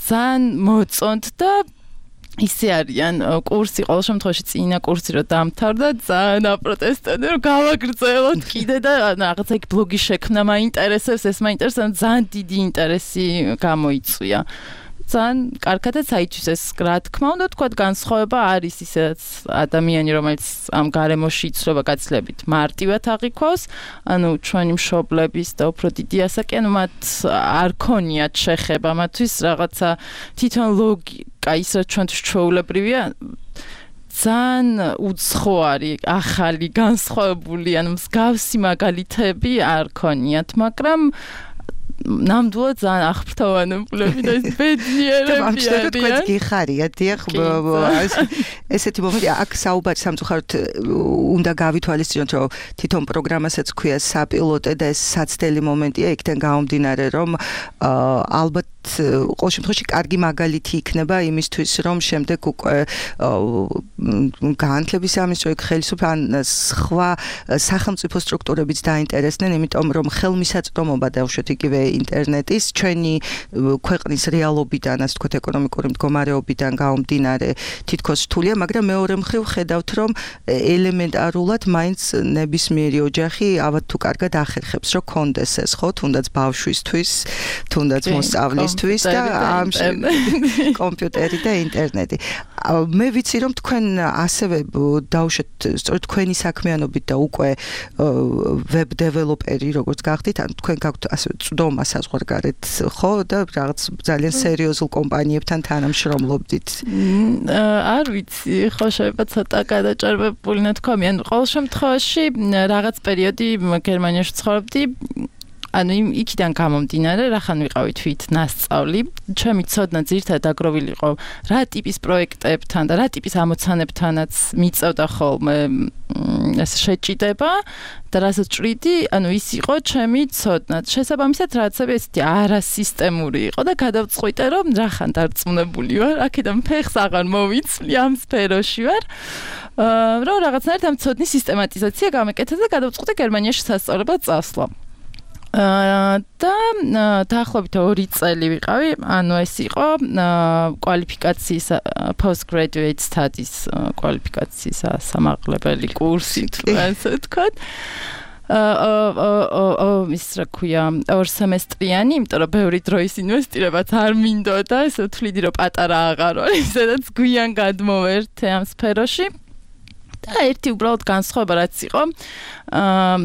ძალიან მოწონთ და ისე არიან კურსი ყოველ შემთხვევაში წინა კურსი რომ დამთავრდა ძალიან აპროტესტებდნენ რომ გავაგრძელოთ კიდე და რაღაცა იქ ბლოგი შექმნა მაინტერესებს ეს მაინტერესებს ძალიან დიდი ინტერესი გამოიწვია ძალიან კარგადაც აიჩვის ეს რა თქმა უნდა თქვა განსხვავება არის ისედაც ადამიანი რომელიც ამ გარემოში იცვლება გაცილებით მარტივად აღიქვავს ანუ ჩვენი მშობლების და უფრო დიდი ასაკი ანუ მათ არ ქონიათ შეხება მათთვის რაღაცა თვითონ ლოგიკა ის რა ჩვენთვის ჩვეულებრივია ძალიან უცხო არის ახალი განსხვავებული ანუ მსგავსი მაგალითები არ ქონიათ მაგრამ ნამდვილად ძალიან აღფრთოვანებული და ეს ბედნიერები არიან. თქვენ გიხარია, დიახ, ესეთი მომენტი აქ საუბარი სამწუხაროდ უნდა გავითვალისწინოთ, რომ თვითონ პროგრამასაც ქვია საპილოტე და ეს საცდელი მომენტია, იქიდან გამომდინარე, რომ ალბათ ყოველ შემთხვევაში კარგი მაგალითი იქნება იმისთვის, რომ შემდეგ უკვე განათლების სამინისტრო ხელისუფლება ან სხვა სახელმწიფო სტრუქტურებიც დაინტერესდნენ, იმიტომ რომ ხელმისაწვდომობა დავუშვათ იგივე ინტერნეტის ჩვენი ქვეყნის რეალობიდან, ასე ვთქვათ, ეკონომიკური მდგომარეობიდან გამომდინარე თითქოს რთულია, მაგრამ მეორე მხრივ ხედავთ, რომ ელემენტარულად მაინც ნებისმიერი ოჯახი ალბათ თუ კარგად ახერხებს, რომ კონდეს ეს ხო, თუნდაც ბავშვისთვის, თუნდაც მოსწავლისთვის და ამ კომპიუტერი და ინტერნეტი. მე ვიცი რომ თქვენ ასევე დავუშვათ სწორედ თქვენი საქმიანობით და უკვე ვებ დეველოპერი როგორც გახდით, ან თქვენ გაქვთ ასე წვდომა საზღვარგარეთ, ხო და რაღაც ძალიან სერიოზულ კომპანიებთან თანამშრომლობდით. არ ვიცი, ხო შეიძლება ცოტა გადაჭარბებული ნათქვამი, ან ყოველ შემთხვევაში რაღაც პერიოდი გერმანიაში ცხოვრობდი ანუ იქიდან გამომდინარე, რახან ვიყავი თვით ნასწავლი, ჩემი ცოდნა ძირითადად დაგროვილი იყო რა ტიპის პროექტებთან და რა ტიპის ამოცანებთანაც მიწევდა ხოლმე ეს შეჭიდება და რასაც ჭრიდი, ანუ ის იყო ჩემი ცოდნა. შესაბამისად, რაღაცები ესეთი არასისტემური იყო და გადავწყვიტე, რომ რახან დარწმუნებული ვარ, აქედან ფეხს აღარ მოვიცვლი ამ სფეროში ვარ. რომ რაღაცნაირად ამ ცოდნის სისტემატიზაცია გამეკეთა და გადავწყვიტე გერმანიაში სასწავლებლად წასვლა. და დაახლოებით ორი წელი ვიყავი, ანუ ეს იყო კვალიფიკაციის postgraduate studies კვალიფიკაციის სამაღლებელი კურსი, ასე ვთქვათ. აა ის რა ქვია, ორ სემესტრიანი, იმიტომ რომ ბევრი დროის ინვესტირებაც არ მინდოდა, ესე ვთვლიდი რომ პატარა აღარ ვარ, სადაც გვიან გადმოვერთე ამ სფეროში. და ერთი უბრალოდ განსხვავება რაც იყო, აა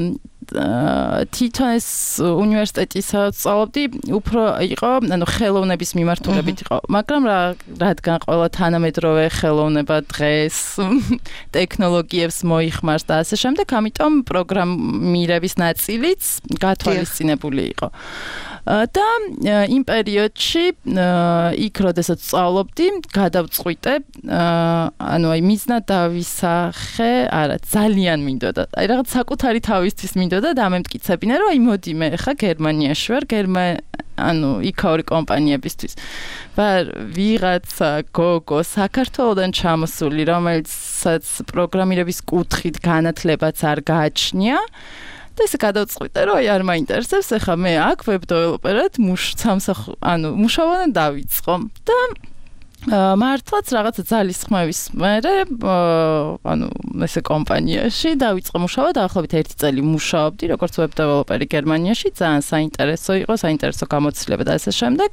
თვითონ ეს უნივერსიტეტისაც სწავლობდი, უფრო იყო, ანუ ხელოვნების მიმართულებით იყო, მაგრამ რა რადგან ყველა თანამედროვე ხელოვნება დღეს ტექნოლოგიებს მოიხმარს და ასე შემდეგ, ამიტომ პროგრამირების ნაწილიც გათვალისწინებული იყო. და იმ პერიოდში იქ როდესაც სწავლობდი, გადავწყვიტე, ანუ აი მიზნად დავისახე, არა, ძალიან მინდოდა. აი რაღაც საკუთარი თავისთვის მინდოდა და ამემტკიცებინა, რომ აი მოდი მე ხა გერმანიაში ვარ, გერმა ანუ იქაური კომპანიებისთვის. ვარ ვიღაცა გოგო საქართველოდან ჩამოსული, რომელსაც პროგრამირების კუთხით განათლებაც არ გააჩნია. და ესე გადავწყვიტე, რომ აი არ მაინტერესებს, ეხლა მე აქ ვებ დეველოპერად სამსახ ანუ მუშაობა დავიწყო და მართლაც რაღაცა ძალის ხმების მერე ანუ ესე კომპანიაში დავიწყე მუშაობა, დაახლოებით ერთი წელი მუშაობდი როგორც ვებ დეველოპერი გერმანიაში, ძალიან საინტერესო იყო, საინტერესო გამოცდილება და ასე შემდეგ.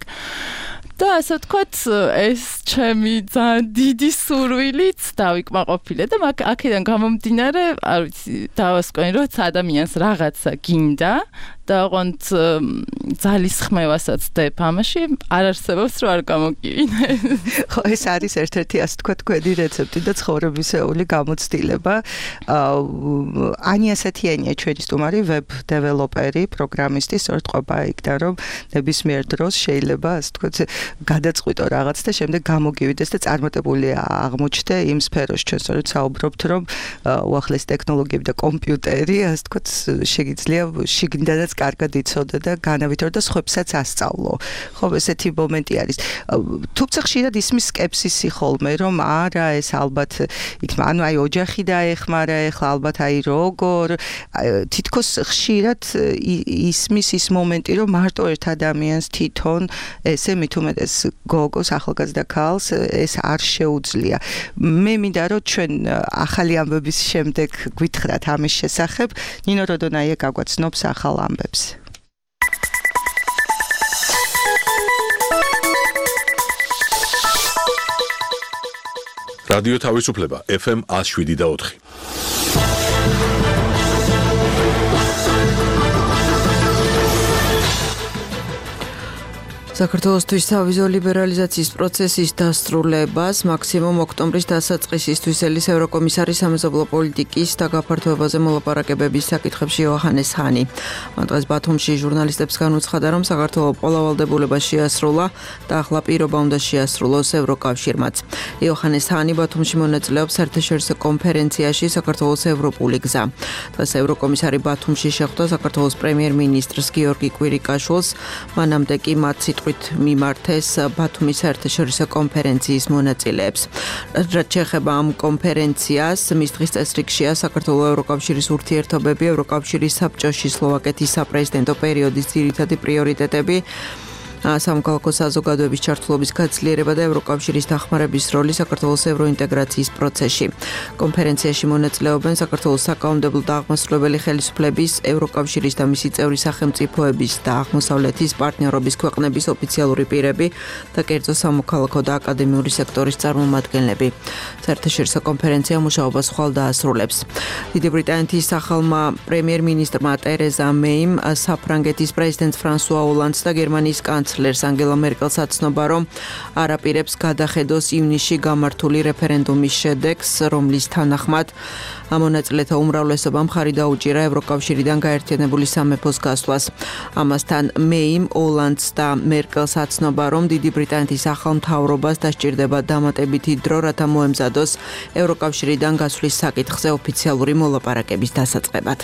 და ასე ვთქვათ, ეს ჩემი ძალიან დიდი სურვილიც დავიკმაყოფილე და აქედან გამომდინარე, არ ვიცი, დავასკვენი, რომ ადამიანს რაღაცა გინდა და ოღონდ ძალის ხმევასაც დებ ამაში, არ არსებობს რომ არ გამოგივინე. ხო, ეს არის ერთ-ერთი ასე ვთქვათ გვედი რეცეპტი და ცხოვრებისეული გამოცდილება. ანია სათიანია ჩვენი სტუმარი, ვებ დეველოპერი, პროგრამისტი, სწორედ ყოფა იქიდან, რომ ნებისმიერ დროს შეიძლება ასე ვთქვათ გადაწყვიტო რაღაც და შემდეგ გამოგივიდეს და წარმატებული აღმოჩნდე იმ სფეროში. ჩვენ სწორედ საუბრობთ, რომ უახლესი ტექნოლოგიები და კომპიუტერი, ასე ვთქვათ, შეგიძლია შიგნიდანაც კარგად იცოდე და განავითარო და სხვებსაც ასწავლო. ხო, ესეთი მომენტი არის. თუმცა ხშირად ისმის სკეპსისი ხოლმე, რომ არა, ეს ალბათ იქნება, ანუ აი ოჯახი დაეხმარა, ეხლა ალბათ აი როგორ თითქოს ხშირად ისმის ის მომენტი, რომ მარტო ერთ ადამიანს თვითონ ესე მით უმეტეს გოგოს, ახალგაზრდა ქალს ეს არ შეუძლია. მე მინდა რომ ჩვენ ახალი ამბების შემდეგ გვითხრათ ამის შესახებ. ნინო როდონაია გაგვაცნობს ახალ ამბებს. რადიო თავისუფლება ეფ ემ one oh seven და four. საქართველოსთვის სავიზო ლიბერალიზაციის პროცესის დასრულებას მაქსიმუმ ოქტომბრის დასაწყისისთვის ელის ევროკომისარი სამეზობლო პოლიტიკის და გაფართოებაზე მოლაპარაკებების საკითხებში იოჰანეს ჰანი. მან დღეს ბათუმში ჟურნალისტებს განუცხადა, რომ საქართველოს პოლავალდებულება შეასრულა და ახლა პირობა უნდა შეასრულოს ევროკავშირმაც. იოჰანეს ჰანი ბათუმში მონაწილეობს საერთაშორისო კონფერენციაში საქართველოს ევროპული გზა. დღეს ევროკომისარი ბათუმში შეხვდა საქართველოს პრემიერ-მინისტრს გიორგი კვირიკაშვილს, მანამდე კი მათ მიმართეს ბათუმის საერთაშორისო კონფერენციის მონაწილეებს. რაც შეეხება ამ კონფერენციას, მის დღის წესრიგშია საქართველოს ევროკავშირის ურთიერთობები, ევროკავშირის საბჭოში სლოვაკეთის საპრეზიდენტო პერიოდის ძირითადი პრიორიტეტები, სამოქალაქო საზოგადოების ჩართულობის გაცილიერება და ევროკავშირის დახმარების როლი საქართველოს ევროინტეგრაციის პროცესში. კონფერენციაში მონაწილეობენ საქართველოს საკანონმდებლო და აღმასრულებელი ხელისუფლების, ევროკავშირის და მისი წევრი სახელმწიფოების და აღმოსავლეთის პარტნიორობის ქვეყნების ოფიციალური პირები და კერძო სამოქალაქო და აკადემიური სექტორის წარმომადგენლები. საერთაშორისო კონფერენცია მუშაობას ხვალ დაასრულებს. დიდი ბრიტანეთის ახალმა პრემიერ-მინისტრმა ტერეზა მეიმ საფრანგეთის პრეზიდენტს ფრანსუა ოლანდს და გერმანიის კანცლერს ანგელა მერკელს აცნობა, რომ არ აპირებს გადახედოს ივნისში გამართული რეფერენდუმის შედეგს, რომლის თანახმად მონაწილეთა უმრავლესობა მხარი დაუჭირა ევროკავშირიდან გაერთიანებული სამეფოს გასვლას. ამასთან მეიმ ოლანდს და მერკელს აცნობა, რომ დიდი ბრიტანეთის ახალ მთავრობას დასჭირდება დამატებითი დრო, რათა მოემზადოს ევროკავშირიდან გასვლის საკითხზე ოფიციალური მოლაპარაკების დასაწყებად.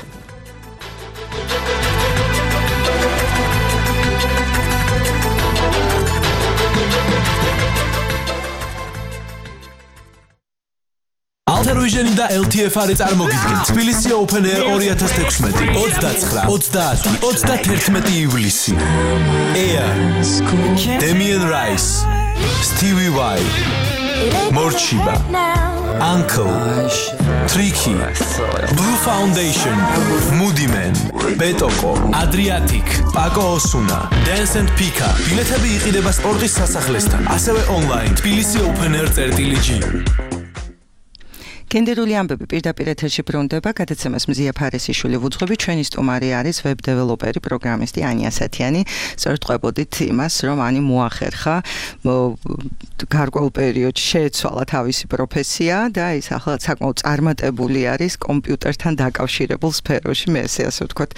Alter Vision და ელ თი ეფ არი წარმოგიდგენთ თბილისი Open Air twenty sixteen twenty-nine thirty thirty-one ივლისი. Air Damien Rice, Stevie Vai, Morchiba, Uncle, Tricky, Blue Foundation, Moody Man, Betoko, Adriatic, Paco Osuna, Dance and Pika. ბილეთები იყიდება სპორტის სასახლესთან, ასევე online თბილისი Open Air thirty-one. გენდერული ამბები პირდაპირ ეთერში ბრუნდება, გადაცემას მზია ფარესიშვილი ვუძღვები, ჩვენი სტუმარი არის ვებ დეველოპერი, პროგრამისტი ანია სათიანი. სწორედ ყვებოდით იმას, რომ ანი მოახერხა გარკვეულ პერიოდში შეეცვალა თავისი პროფესია და ის ახლა საკმაოდ წარმატებული არის კომპიუტერთან დაკავშირებულ სფეროში, მე ესე ასე ვთქვათ,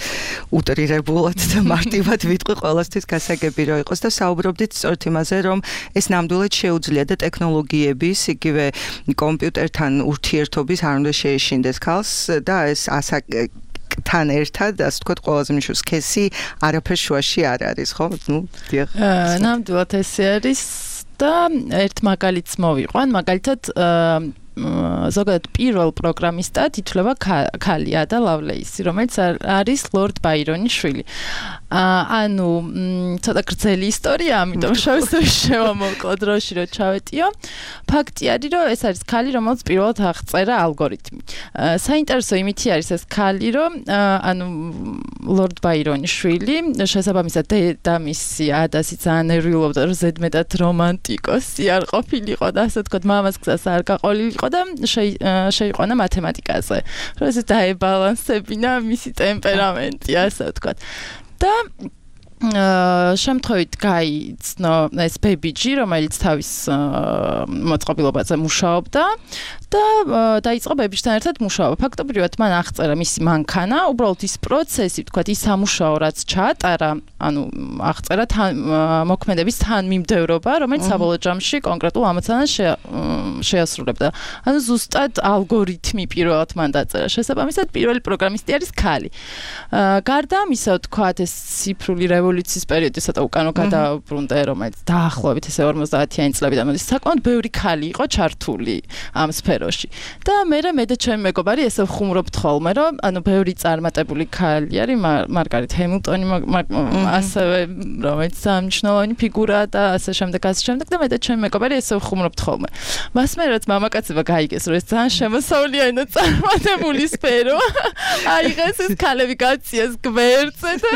უტრირებულად და მარტივად ვიტყვი ყველასთვის გასაგები რო იყოს და საუბრობდით სწორედ იმაზე, რომ ეს ნამდვილად შეუძლია და ტექნოლოგიების, იგივე კომპიუტერთან ურთიერთობის არ უნდა შეეშინდეს ქალს და ეს ასაკ თან ერთად, ასე ვთქვათ, ყველაზე მნიშვნელოვანი სქესი არაფერ შუაში არ არის, ხო? ნუ, დიახ. ნამდვილად ესე არის და ერთ მაგალითს მოვიყვან, მაგალითად ზოგადად პირველ პროგრამისტად ითვლება ქალია და ლავლეისი, რომელიც არის ლორდ ბაირონის შვილი. ანუ ცოტა გრძელი ისტორია, ამიტომ შევსვი შევამოკლო დროში რომ ჩავეტიო. ფაქტი არის, რომ ეს არის ქალი, რომელიც პირველად აღწერა ალგორითმი. საინტერესო იმითი არის ეს ქალი, რომ ანუ ლორდ ბაირონის შვილი, შესაბამისად დედამისი ადასი ძალიან ნერვიულობდა, რომ ზედმეტად რომანტიკოსი არ ყოფილიყო და ასე ვთქვათ, მამას გზას არ გაყოლილიყო და შეიყვანა მათემატიკაზე. რომ ეს დაებალანსებინა მისი ტემპერამენტი, ასე ვთქვათ. და შემთხვევით გაიცნო ეს ბებიჯი, რომელიც თავის მოწყობილობაზე მუშაობდა და დაიწყო ბებიჯთან ერთად მუშაობა. ფაქტობრივად მან აღწერა მისი მანქანა, უბრალოდ ის პროცესი, თქვათ, ის სამუშაო, რაც ჩაატარა, ანუ აღწერა მოქმედების თანმიმდევრობა, რომელიც საბოლოო ჯამში კონკრეტულ ამოცანას შეასრულებდა. ანუ ზუსტად ალგორითმი პირველად მან დაწერა. შესაბამისად, პირველი პროგრამისტი არის ქალი. გარდა ამისა, თქვათ, ეს ციფრული რევოლუციის პერიოდი ცოტა უკანო გადაუბრუნდა, რომელიც დაახლოებით ესე ორმოცდაათიანი წლებიდან მოდის. საკმაოდ ბევრი ქალი იყო ჩართული ამ სფეროში. და მე მე და ჩემი მეგობარი ესე ვხუმრობთ ხოლმე, რომ ანუ ბევრი წარმატებული ქალი არის, მარგარეთ ჰემილტონი, ასევე რომელიც სამნიშნავანი ფიგურაა და ასე შემდეგ, ასე შემდეგ და მე და ჩემი მეგობარი ესე ვხუმრობთ ხოლმე. მას მე რაც მამაკაცება გაიგეს, რომ ეს ძალიან შემოსავლიანი და წარმატებული სფერო. აიღეს ეს ქალები გაციას გვერდზე და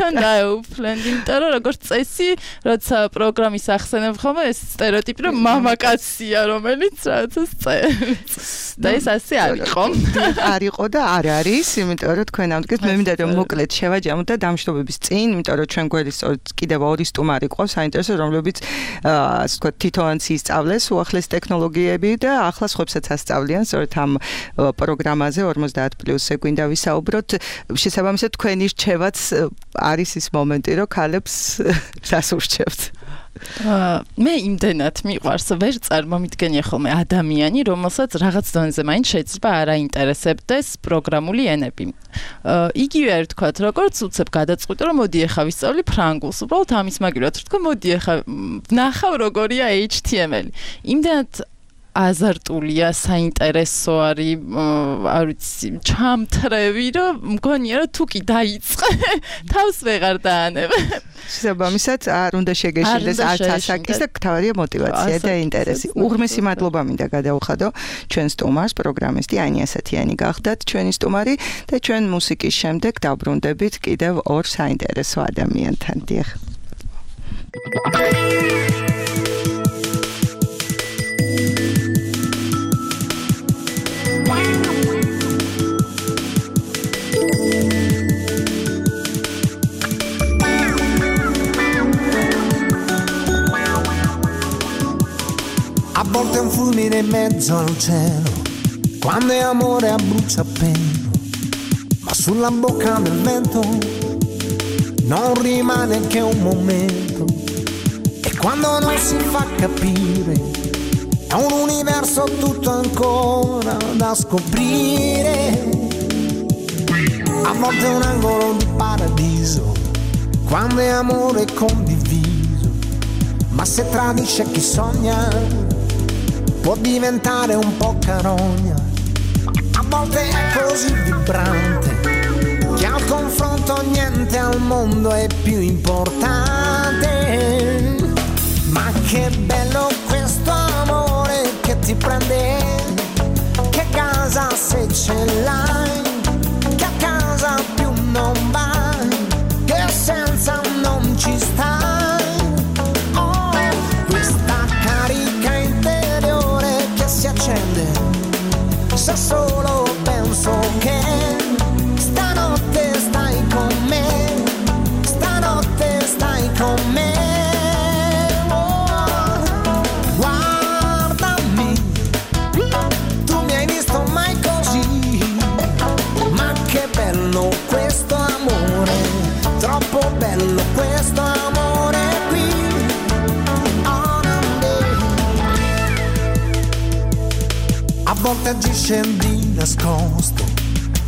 თან დაეუფლენ, იმიტომ რომ როგორც წესი, როცა პროგრამის ახსენებ ხოლმე ეს სტერეოტიპი, რომ მამაკაცია, რომელიც რაღაცას წერს. და ეს ასე არ იყო. არ იყო და არ არის, იმიტომ რომ თქვენ ამდგეთ მე მინდა რომ მოკლედ შევაჯამოთ და დამშტობების წინ, იმიტომ რომ ჩვენ გვერდის კიდევ ორი სტუმარი ყავს, საინტერესო, რომლებიც ასე ვთქვათ, თვითონაც ისწავლეს უახლეს ტექნოლოგიები და ახლა სხვებსაც ასწავლიან, სწორედ ამ პროგრამაზე ორმოცდაათ პლუსზე გვინდა ვისაუბროთ. შესაბამისად, თქვენი რჩევაც არის ის მომენტი, რომ ქალებს რას ურჩევთ? მე იმდენად მიყვარს, ვერ წარმომიდგენია ხოლმე ადამიანი, რომელსაც რაღაც დონეზე მაინც შეიძლება არ აინტერესებდეს პროგრამული ენები. იგივე არ ვთქვათ, როგორც უცებ გადაწყვიტე, რომ მოდი ახლა ვისწავლი ფრანგულს, უბრალოდ ამის მაგივრად ვთქვა, მოდი ახლა ვნახავ როგორია H T M L. იმდენად აზარტულია, საინტერესო არის, არ ვიცი, ჩამთრევი, რომ მგონია, რომ თუ კი დაიწყე, თავს ვეღარ დაანებ. შესაბამისად, არ უნდა შეგეშინდეს არც ასაკის და თავარია мотиваცია და ინტერესი. უღრმესი მადლობა მინდა გადავხადო ჩვენ სტუმარს, პროგრამისტი ანია ასათიანი გახდათ ჩვენი სტუმარი და ჩვენ მუსიკის შემდეგ დავბრუნდებით კიდევ ორ საინტერესო ადამიანთან. დიახ. A volte un fulmine in mezzo al cielo, quando è amore a bruciapelo, ma sulla bocca del vento non rimane che un momento, e quando non si fa capire è un universo tutto ancora da scoprire. A volte è un angolo di paradiso, quando è amore condiviso, ma se tradisce chi sogna può diventare un po' carogna. A volte è così vibrante che al confronto niente al mondo è più importante. Ma che bello questo amore che ti prende, che casa se ce l'hai, che a casa più non vai, che senza non ci stai. Oh, questa carica interiore che si accende se solo penso che stanotte stai con me, stanotte stai con me. Questo amore, troppo bello questo amore qui. Oh, a volte agisce di nascosto,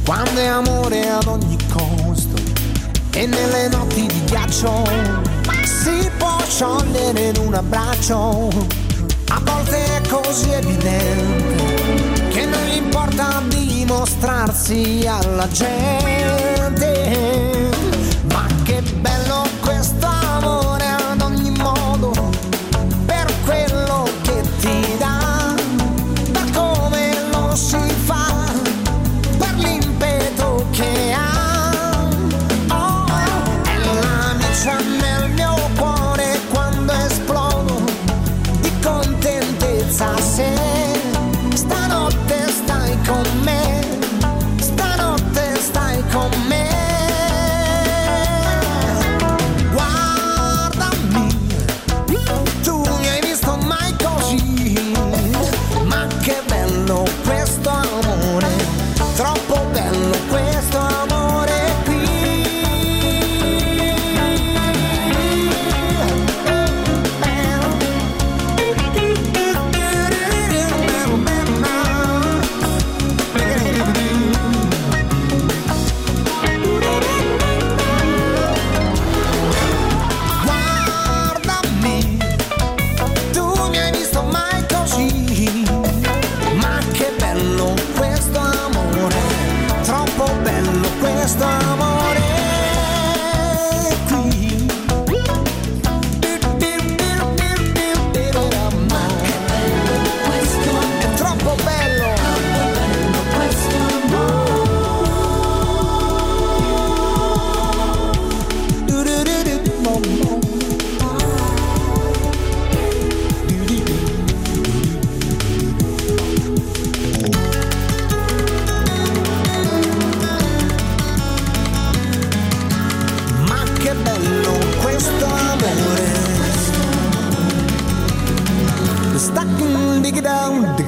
quando è amore ad ogni costo, e nelle notti di ghiaccio si può sciogliere in un abbraccio. A volte è così evidente che non gli importa dimostrarsi alla gente. Ma che bello questo amore ad ogni modo, per quello che ti dà, per come lo si fa, per l'impeto che ha. Oh, è l'amica nel mio cuore quando esplodo di contentezza se stanotte stai con me, stanotte stai con me.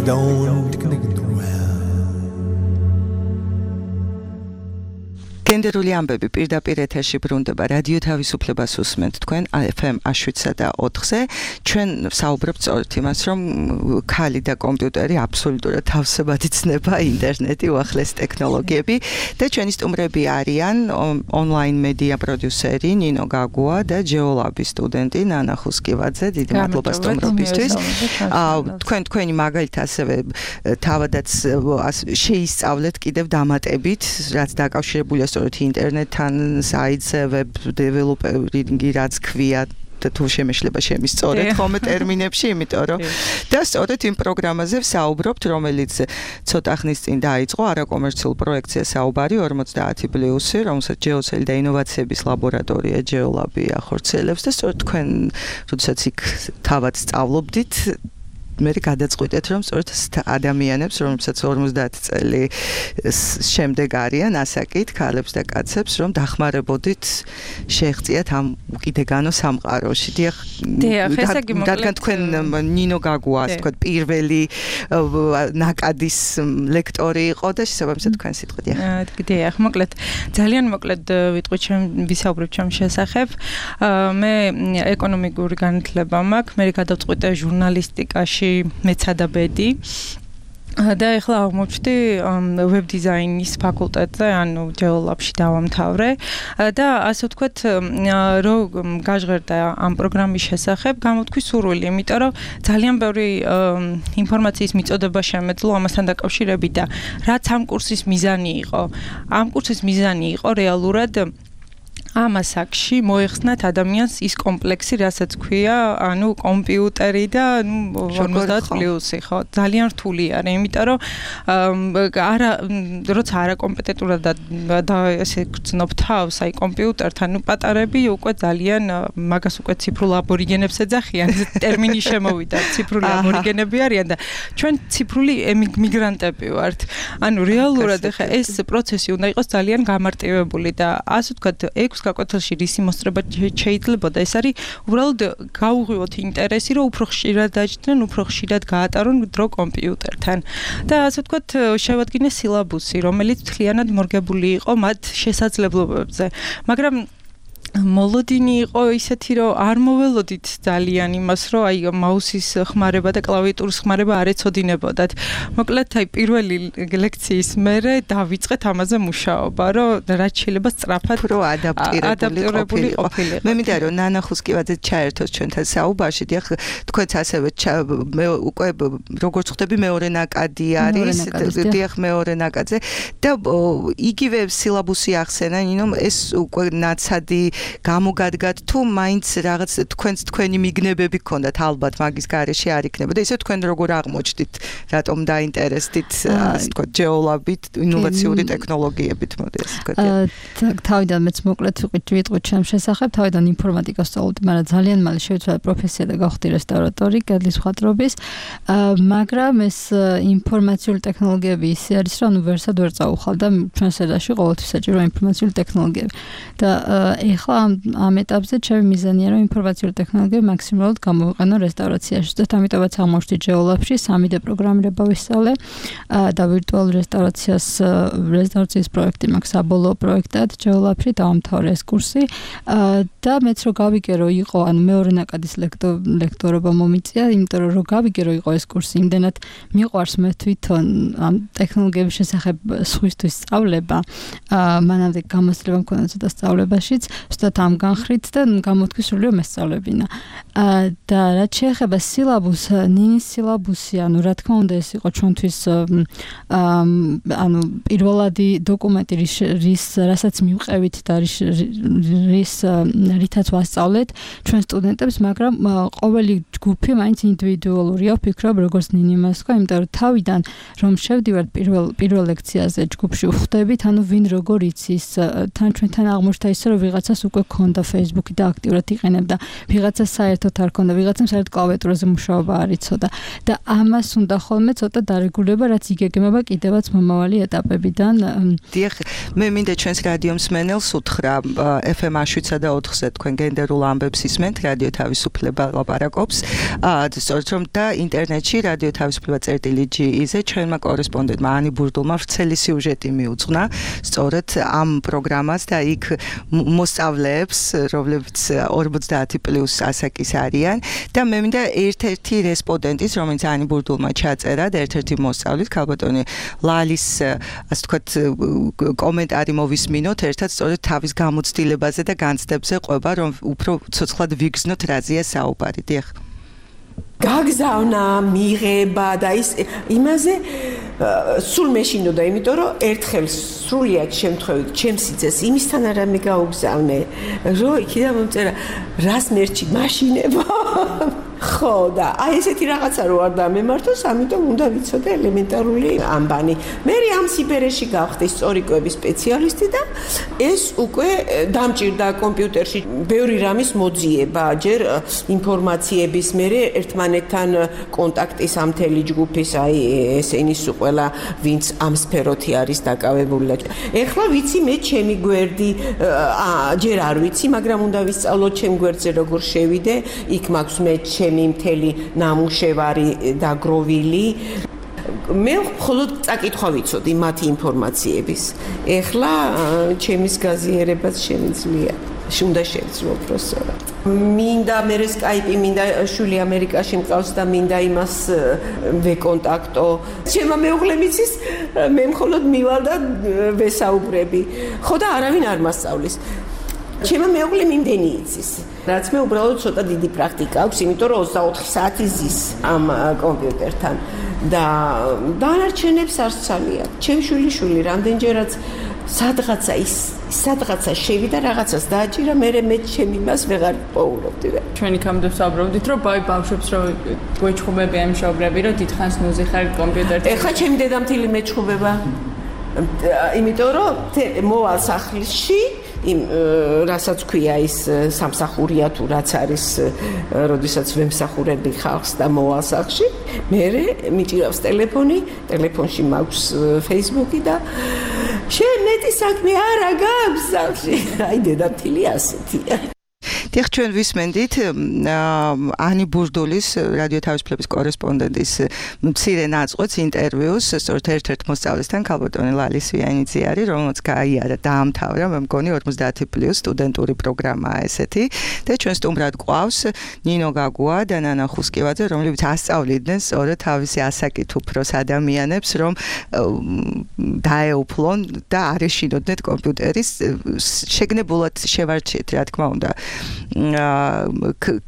don't well. გენდერული ამბები პირდაპირ ეთერში ბრუნდება რადიო თავისუფლებას უსმენთ თქვენ ეფ ემ შვიდსა და ოთხზე ჩვენ საუბრობთ სწორედ იმას რომ ქალი და კომპიუტერი აბსოლუტურად თავსებადი ცნება ინტერნეტი უახლესი ტექნოლოგიები და ჩვენი სტუმრები არიან ონლაინ მედია პროდიუსერი ნინო გაგუა და ჯეოლაბის სტუდენტი ნანა ხუსკივაძე დიდი მადლობა სტუმრობისთვის თქვენ თქვენი მაგალითად ასევე თავადაც შეისწავლეთ კიდევ დამატებით რაც დაკავშირებულია სწორედ ინტერნეტთან, საიტზე, ვებ დეველოპერინგი რაც ქვია და თუ შემეშლება შემისწორეთ ხოლმე ტერმინებში, იმიტომ რომ და სწორედ იმ პროგრამაზე ვსაუბრობთ, რომელიც ცოტა ხნის წინ დაიწყო არაკომერციულ პროექტზე საუბარი ორმოცდაათი პლუსი, რომელსაც ჯეოცელი და ინოვაციების ლაბორატორია ჯეოლაბი ახორციელებს და სწორედ თქვენ, როდესაც იქ თავად სწავლობდით მე გადაწყვეტეთ რომ სწორედ ადამიანებს რომელსაც ორმოცდაათი წელი შემდეგ არიან ასაკით ქალებს და კაცებს რომ დახმარებოდით შეღწიათ ამ უკიდეგანო სამყაროში. დიახ, რადგან თქვენ ნინო გაგუა ასე ვთქვათ პირველი ნაკადის ლექტორი იყო და შესაბამისად თქვენ სიტყვით. დიახ, მოკლედ ძალიან მოკლედ ვიტყვი ჩემ ვისაუბრებ ჩემ შესახებ. მე ეკონომიკური განათლება მაქვს, მე გადავწყვიტე ჟურნალისტიკაში მეცადაბედი და ახლა აღმოჩნდი ვებ დიზაინის ფაკულტეტზე, ანუ ჯეოლაბში დავამთავრე და ასე ვთქვათ, რომ გაჟღერდა ამ პროგრამის შესახებ, გამოთქვი სურვილი, იმიტომ რომ ძალიან ბევრი ინფორმაციის მიწოდება შემეძლო ამასთან დაკავშირებით და რაც ამ კურსის მიზანი იყო. ამ კურსის მიზანი იყო რეალურად ამ ასაკში მოეხსნათ ადამიანს ის კომპლექსი, რასაც ქვია, ანუ კომპიუტერი და ნუ ორმოცდაათი პლუსი, ხო, ძალიან რთული არის, იმიტომ რომ არა როცა არაკომპეტენტურად და ესე გრძნობ თავს, აი კომპიუტერთან, ნუ პატარები უკვე ძალიან მაგას უკვე ციფრულ აბორიგენებს ეძახიან, ტერმინი შემოვიდა, ციფრული აბორიგენები არიან და ჩვენ ციფრული მიგრანტები ვართ. ანუ რეალურად ახლა ეს პროცესი უნდა იყოს ძალიან გამარტივებული და ასე ვთქვათ, ექვს გაკვეთილში რისი მოსწრება შეიძლებოდა, ეს არის უბრალოდ გაუღვივოთ ინტერესი, რომ უფრო ხშირად დაჯდნენ, უფრო ხშირად გაატარონ დრო კომპიუტერთან. და ასე ვთქვათ, შევადგინეს სილაბუსი, რომელიც მთლიანად მორგებული იყო მათ შესაძლებლობებზე. მაგრამ მოლოდინი იყო ისეთი, რომ არ მოველოდით ძალიან იმას, რომ აი მაუსის ხმარება და კლავიატურის ხმარება არ ეცოდინებოდათ. მოკლედ, აი პირველი ლექციის მერე დავიწყეთ ამაზე მუშაობა, რომ რაც შეიძლება სწრაფად პრო ადაპტირებული ყოფილიყო. მე მინდა რომ ნანა ხუსკივაძე ჩაერთოს ჩვენთან საუბარში, დიახ, თქვენც ასევე მე უკვე როგორც ხვდები მეორე ნაკადი არის, დიახ, მეორე ნაკადზე და იგივე სილაბუსი ახსენა, ნინო, ეს უკვე ნაცადი გამოგადგათ თუ მაინც რაღაც თქვენს თქვენი მიგნებები გქონდათ ალბათ მაგის გარეშე არ იქნებოდა ისე თქვენ როგორ აღმოჩნდით რატომ დაინტერესდით ასე თქვა ჯეოლაბით ინოვაციური ტექნოლოგიებით მოდი ასე თქვა თავიდან მეც მოკლედ ვიტყვი ჩემ შესახებ თავიდან ინფორმატიკას სწავლობდი მაგრამ ძალიან მალე შევიცვალე პროფესია და გავხდი რესტავრატორი კედლის მხატვრობის მაგრამ ეს ინფორმაციული ტექნოლოგიები ისე არის რომ ვერსად ვერ წაუხალ და ჩვენ სერიაში ყოველთვის საჭირო ინფორმაციული ტექნოლოგიები და ეხლა ამ ეტაპზე ჩემი მიზანია რომ ინფორმაციული ტექნოლოგიები მაქსიმალურად გამოვიყენო რესტავრაციაში და ამიტომაც აღმოჩნდი ჯეოლაბში სამი დე პროგრამირება ვისწავლე და ვირტუალურ რესტავრაციას რესტავრაციის პროექტი მაქვს საბოლოო პროექტად ჯეოლაბში დავამთავრე ეს კურსი და მეც რო გავიგე რომ იყო ანუ მეორე ნაკადის ლექტორობა მომიწია იმიტომ რომ რო გავიგე რომ იყო ეს კურსი იმდენად მიყვარს მე თვითონ ამ ტექნოლოგიების შესახებ სხვისთვის სწავლება მანამდე გამოცდილება მქონდა ცოტა სწავლებაშიც ზუსტად ამ განხრით და გამოთქვი სრული რომ ესწავლებინა და რაც შეეხება სილაბუსს ნინის სილაბუსი ანუ რა თქმა უნდა ეს იყო ჩვენთვის ანუ პირველადი დოკუმენტი რის რასაც მივყევით და რის რითაც ვასწავლეთ ჩვენ სტუდენტებს მაგრამ ყოველი ჯგუფი მაინც ინდივიდუალურია ვფიქრობ როგორც ნინი მას თქვა იმიტომ რომ თავიდან რომ შევდივართ პირველ პირველ ლექციაზე ჯგუფში ვხვდებით ანუ ვინ როგორ იცის თან ჩვენთან აღმოჩნდა ისე რომ ვიღაცას უკვე ქონდა Facebook-ი და აქტიურად იყენებდა ვიღაცას საერთოდ არ ქონდა ვიღაცამ საერთოდ კლავიატურაზე მუშაობა არ იცოდა და ამას უნდა ხოლმე ცოტა დარეგულება რაც იგეგმება კიდევაც მომავალი ეტაპებიდან დიახ მე მინდა ჩვენს რადიო მსმენელს უთხრა ეფ ემ შვიდსა და ოთხზე თქვენ გენდერულ ამბებს ისმენთ რადიო თავისუფლება ლაპარაკობს აა სწორედ რომ და ინტერნეტში რადიო თავისუფლება წერტილი ჯი-ზე ჩვენმა კორესპონდენტმა ანი ბურდულმა ვრცელი სიუჟეტი მიუძღვნა სწორედ ამ პროგრამას და იქ მოსწავლეებს, რომლებიც ორმოცდაათი პლუს ასაკის არიან და მე მინდა ერთ-ერთი რესპონდენტის, რომელიც ანი ბურდულმა ჩაწერა და ერთ-ერთი მოსწავლით, ქალბატონი ლალის, ასე ვთქვათ, კომენტარი მოვისმინოთ ერთად სწორედ თავის გამოცდილებაზე და განცდებზე ყვება, რომ უფრო ცოცხლად ვიგრძნოთ რაზეა საუბარი. დიახ. გაგზავნა, მიღება და ის იმაზე სულ მეშინოდა, იმიტომ რომ ერთხელ სრულიად შემთხვევით ჩემს სიძეს იმისთან არა მე გაუგზავნე, რომ იქიდან მომწერა რას მერჩი მაშინება. ხო და აი ესეთი რაღაცა რო არ დამემართოს, ამიტომ უნდა ვიცოდე ელემენტარული ამბანი. მე ამ სიბერეში გავხდი სწორიკოების სპეციალისტი და ეს უკვე დამჭირდა კომპიუტერში ბევრი რამის მოძიება, ჯერ ინფორმაციების, მე ერთმანეთთან კონტაქტის ამ მთელი ჯგუფის, აი ესენი სულ ყველა ვინც ამ სფეროთი არის დაკავებული. ეხლა ვიცი მე ჩემი გვერდი, ჯერ არ ვიცი, მაგრამ უნდა ვისწავლო ჩემ გვერდზე როგორ შევიდე, იქ მაქვს მე ჩემი მთელი ნამუშევარი დაგროვილი. მე მხოლოდ წაკითხვა ვიცოდი მათი ინფორმაციების. ეხლა ჩემის გაზიარებას შემიძლია. უნდა შევძლო პროფესორად. მინდა მე სკაიპი, მინდა შვილი ამერიკაში მყავს და მინდა იმას ვეკონტაქტო. ჩემმა მეუღლემ იცის, მე მხოლოდ მივალ და ვესაუბრები. ხო და არავინ არ მასწავლის. ჩემმა მეუღლემ იმდენი იცის. რაც მე უბრალოდ ცოტა დიდი პრაქტიკა აქვს, იმიტომ რომ ოცდაოთხი საათი ზის ამ კომპიუტერთან და დანარჩენებს არ სცალია. ჩემ შვილიშვილი რამდენჯერაც სადღაცა ის სადღაცა შევიდა რაღაცას დააჭირა, მე მე ჩემი მას ვეღარ პოულობდი. ჩვენი კამდე ვსაუბრობდით, რომ ბაი ბავშვებს რომ გვეჩხუბები ამ მშობლები, რომ დიდხანს ნუზი ხარ კომპიუტერთან. ეხლა ჩემი დედამთილი მეჩხუბება. იმიტომ რომ მოვალ სახლში იმ რასაც ქვია ის სამსახურია თუ რაც არის, როდესაც ვემსახურები ხალხს და მოვალ სახლში, მე მიჭირავს ტელეფონი, ტელეფონში მაქვს Facebook-ი და შენ მეტი საქმე არა გაქვს სახლში. აი დედამთილი ასეთია. დიახ, ჩვენ ვისმენდით ანი ბურდულის რადიო თავისუფლების კორესპონდენტის მცირე ნაწყვეტს ინტერვიუს სწორედ ერთ-ერთ მოსწავლესთან, ქალბატონი ლალი სვიანიძე არის, რომელსაც გაიარა დაამთავრა, მე მგონი ორმოცდაათი პლუს სტუდენტური პროგრამაა ესეთი და ჩვენ სტუმრად გვყავს ნინო გაგუა და ნანა ხუსკივაძე, რომლებიც ასწავლიდნენ სწორედ თავისი ასაკით უფროს ადამიანებს, რომ დაეუფლონ და არ ეშინოდნენ კომპიუტერის შეგნებულად შევარჩიეთ, რა თქმა უნდა.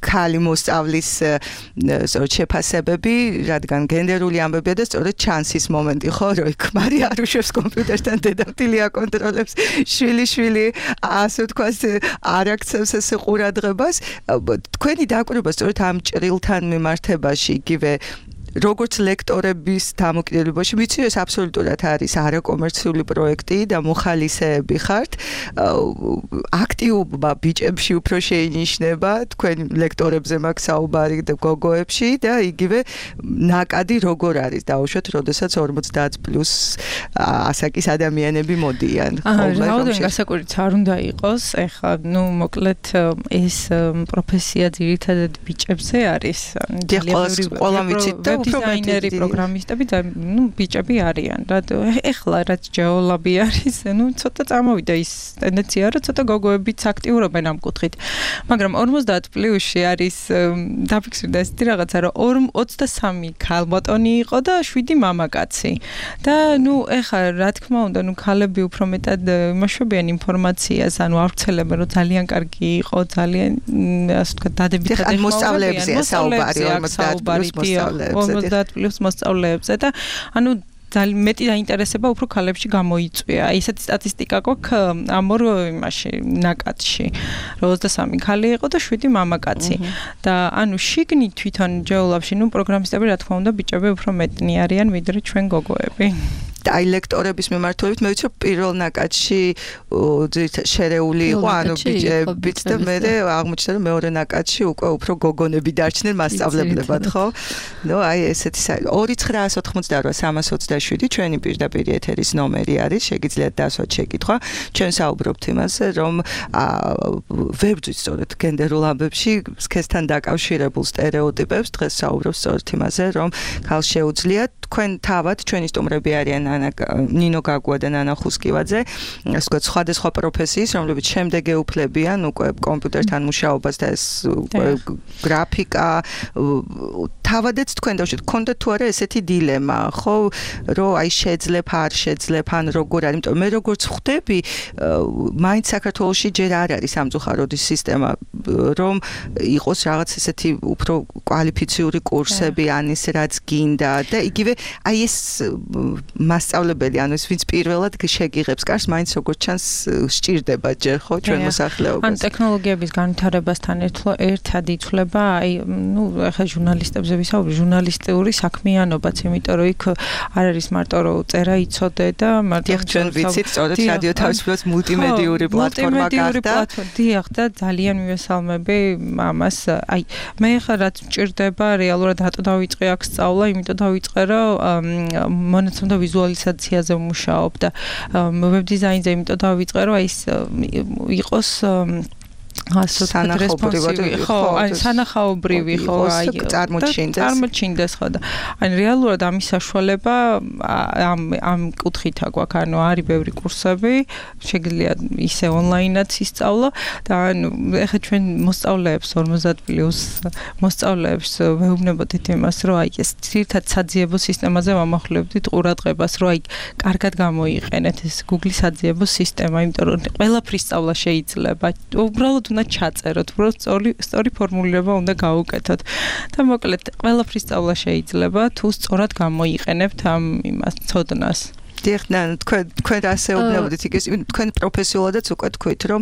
ქალი მოსწავლის სწორედ შეფასებები, რადგან გენდერული ამბებია და სწორედ ჩანსის მომენტი ხო, რომ ქმარი არ უშვებს კომპიუტერთან, დედამთილი აკონტროლებს, შვილი-შვილი ასე ვთქვათ არ აქცევს ეს ყურადღებას. თქვენი დაკვირვება სწორედ ამ ჭრილთან მიმართებაში, იგივე როგორც ლექტორების დამოკიდებულებაში, ვიცი, ეს აბსოლუტურად არის არაკომერციული პროექტი და მოხალისეები ხართ. აქტიობა ბიჭებში უფრო შეინიშნება, თქვენ ლექტორებზე მაქვს საუბარი და გოგოებში და იგივე ნაკადი როგორ არის დაუშვათ, როდესაც ორმოცდაათ პლუს ასაკის ადამიანები მოდიან. რაოდენობა გასაკვირიც არ უნდა იყოს. ეხლა, ნუ მოკლედ ეს პროფესია ძირითადად ბიჭებზე არის. ყველა ვიცით და დიზაინერი, პროგრამისტები და ნუ ბიჭები არიან. რა ეხლა რაც ჯეოლაბი არის, ნუ ცოტა წამოვიდა ის ტენდენცია, რომ ცოტა გოგოებიც აქტიურობენ ამ კუთხით. მაგრამ ორმოცდაათ პლუსში არის დაფიქსირდა ესეთი რაღაცა, რომ ოცდასამი ქალბატონი იყო და შვიდი მამაკაცი. და ნუ ეხლა რა თქმა უნდა, ნუ ქალები უფრო მეტად იმაშვებიან ინფორმაციას, ანუ არ ვცელებენ, რომ ძალიან კარგი იყო, ძალიან ასე ვთქვათ, დადებითად ეხლა მოსწავლეებზეა საუბარი, ორმოცდაათ პლუს მოსწავლეებზე. ორმოცდაათ პლუს მოსწავლეებზე და ანუ ძალიან მეტი დაინტერესება უფრო ქალებში გამოიწვია. აი ესეთი სტატისტიკა გვაქვს ამ ორ იმაში ნაკადში. რომ ოცდასამი ქალი იყო და შვიდი მამაკაცი. და ანუ შიგნით თვითონ ჯეოლაბში, ნუ პროგრამისტები რა თქმა უნდა ბიჭები უფრო მეტნი არიან, ვიდრე ჩვენ გოგოები. დაილექტორების მიმართულებით მე ვიცი პირველ ნაკადში შერეული იყო ანუ ბიჭებიც და მე აღმოჩნდა რომ მეორე ნაკადში უკვე უფრო გოგონები დარჩნენ მასწავლებლებად ხო? ნუ აი ესეთი ორი ცხრაას ოთხმოცდაოთხ სამას ოცდაშვიდი ჩვენი პირდაპირ ეთერის ნომერი არის შეგიძლიათ დასვათ შეკითხვა ჩვენ საუბრობთ იმაზე რომ ვერ ვძვით სწორედ გენდერულ ამბებში სქესთან დაკავშირებულ სტერეოტიპებს დღეს საუბრობთ სწორედ იმაზე რომ ქალს შეუძლია თქვენ თავად ჩვენი სტუმრები არიან ანა ნინო გაგუა და ნანა ხუსკივაძე ასე ვთქვათ სხვადასხვა პროფესიის რომლებიც შემდეგ ეუფლებიან უკვე კომპიუტერთან მუშაობას და ეს გრაფიკა თავადაც თქვენ დავშეთ გქონდათ თუ არა ესეთი დილემა ხო რომ აი შეძლებ არ შეძლებ ან როგორ არის იმიტომ მე როგორც ხვდები მაინც საქართველოში ჯერ არ არის სამწუხაროდი სისტემა რომ იყოს რაღაც ესეთი უფრო კვალიფიციური კურსები ან ის რაც გინდა და იგივე აი ეს მასწავლებელი ანუ ეს ვინც პირველად შეგიღებს კარს მაინც როგორც ჩანს სჭირდება ჯერ ხო ჩვენ მოსახლეობას ან ტექნოლოგიების განვითარებასთან ერთად იცვლება აი ნუ ახლა ჟურნალისტებზე ვისაუბრე ჟურნალისტური საქმიანობაც იმიტომ რომ იქ არ არის მარტო რომ წერა იცოდე და მარტო ჩვენ ვიცით სწორედ რადიო თავისუფლად მულტიმედიური პლატფორმა გახდა დიახ და ძალიან მივესალმები ამას აი მე ხა რაც მჭირდება რეალურად რატო დავიწყე აქ სწავლა იმიტომ დავიწყე რომ მონაცემთა ვიზუალიზაციაზე ვმუშაობ და ვებ დიზაინზე იმიტომ დავიწყე რომ აი იყოს სანახაობრივი ხო აი სანახაობრივი ხო აი წარმოჩინდეს წარმოჩინდეს ხო და აი რეალურად ამის საშუალება ამ ამ კუთხითა გვაქვს ანუ არის ბევრი კურსები შეგიძლია ისე ონლაინად ისწავლო და ანუ ეხლა ჩვენ მოსწავლეებს ორმოცდაათ პლუს მოსწავლეებს ვეუბნებოდით იმას რომ აი ეს ძირითად საძიებო სისტემაზე ვამახვილებდით ყურადღებას რომ აი კარგად გამოიყენეთ ეს Google-ის საძიებო სისტემა იმიტომ რომ ყველაფრის სწავლა შეიძლება უბრალოდ უნდა ჩაწეროთ, უბრალოდ სწორი სწორი ფორმულირება უნდა გაუკეთოთ. და მოკლედ ყველაფრის სწავლა შეიძლება თუ სწორად გამოიყენებთ ამ იმას ცოდნას. დიახნა, თქვენ თქვენ ასეუბნებოდით იქ თქვენ პროფესიულადაც უკვე თქვით, რომ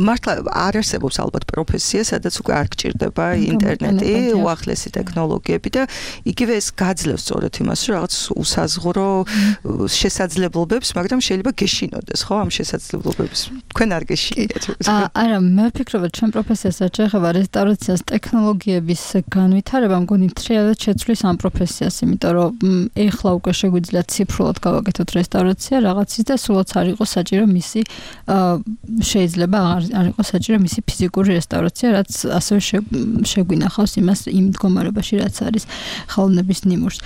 მართლა არ არსებობს ალბათ პროფესია, სადაც უკვე არ გჭირდება ინტერნეტი, უახლესი ტექნოლოგიები და იგივე ეს გაძლევს სწორედ იმას, რომ რაღაც უსაზღვრო შესაძლებლობებს, მაგრამ შეიძლება გეშინოდეს, ხო, ამ შესაძლებლობებს. თქვენ არ გეშინიათ. არა, მე ვფიქრობ, ჩვენ პროფესიასაც შეეხება რესტავრაციას ტექნოლოგიების განვითარება, მგონი თრიადად შეცვლის ამ პროფესიას, იმიტომ რომ ეხლა უკვე შეგვიძლია ციფრულად გავაკეთოთ რესტავრაცია რაღაცის და სულაც არ იყოს საჭირო მისი შეიძლება არ იყოს საჭირო მისი ფიზიკური რესტავრაცია, რაც ასევე შეგვინახავს იმას იმ მდგომარეობაში, რაც არის ხელოვნების ნიმუშს.